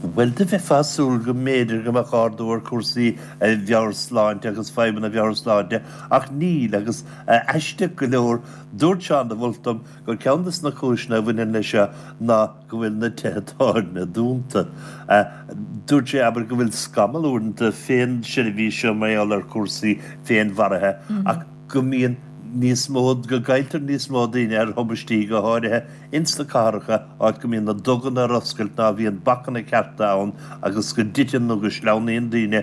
Bhuel, do bheifeá ag súil go mb'fhéidir go mbeadh ardú ar chúrsaí mheabhairshláinte agus fadhbanna mheabhairshláinte ach níl agus aisteach go leor, dúirt Seán de Bhulf dom gur ceann des na cúiseanna a bhaineann leis seo ná go bhfuil na tithe tábhairne dúnta. Dúirt sé, abair, go bhfuil scamall uaireanta fén seirbhís seo mar gheall ar chúrsaí féinmharaithe ach go mbíonn níos mó, go gcailltear níos mó daoine ar thubaistí, go háirithe ins na cathracha, áit go mbíonn na duganna ar oscailt, ná bhíonn bacanna cearta ann agus go dtiteann nó go sleamhnaíonn daoine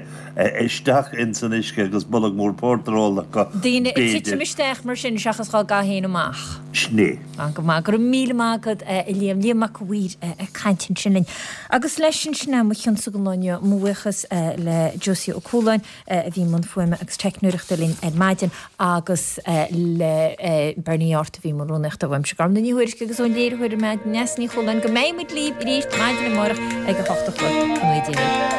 isteach ins an uisce agus bolg mór pórtair ólta acu, Daoine ag titim b'fhéidir. isteach mar sin seachas dhá gcaitheamh féin amach. Sin é. Ah, go maith. Go raibh míle maith agat, a Liam. Liam Mac a' Mhaoir ag caint ansin linn. Agus leis sin, sin é mo chionsa don lá inniu. Mo bhuíochas le Josie Ó Cualáin a bhí i mbun fuaime agus teicneoireachta linn ar maidin agus le Bernie Art a bhí i mbun rúnaíochta uaimse, Gormfhlaith Ní Thuairisg agus ón léiritheoir ar maidin, Neasa Ní Chualáin. Go mbeidh muid libh arís maidin amárach ag a hocht a chlog. Go ngnóthaí Dia libh.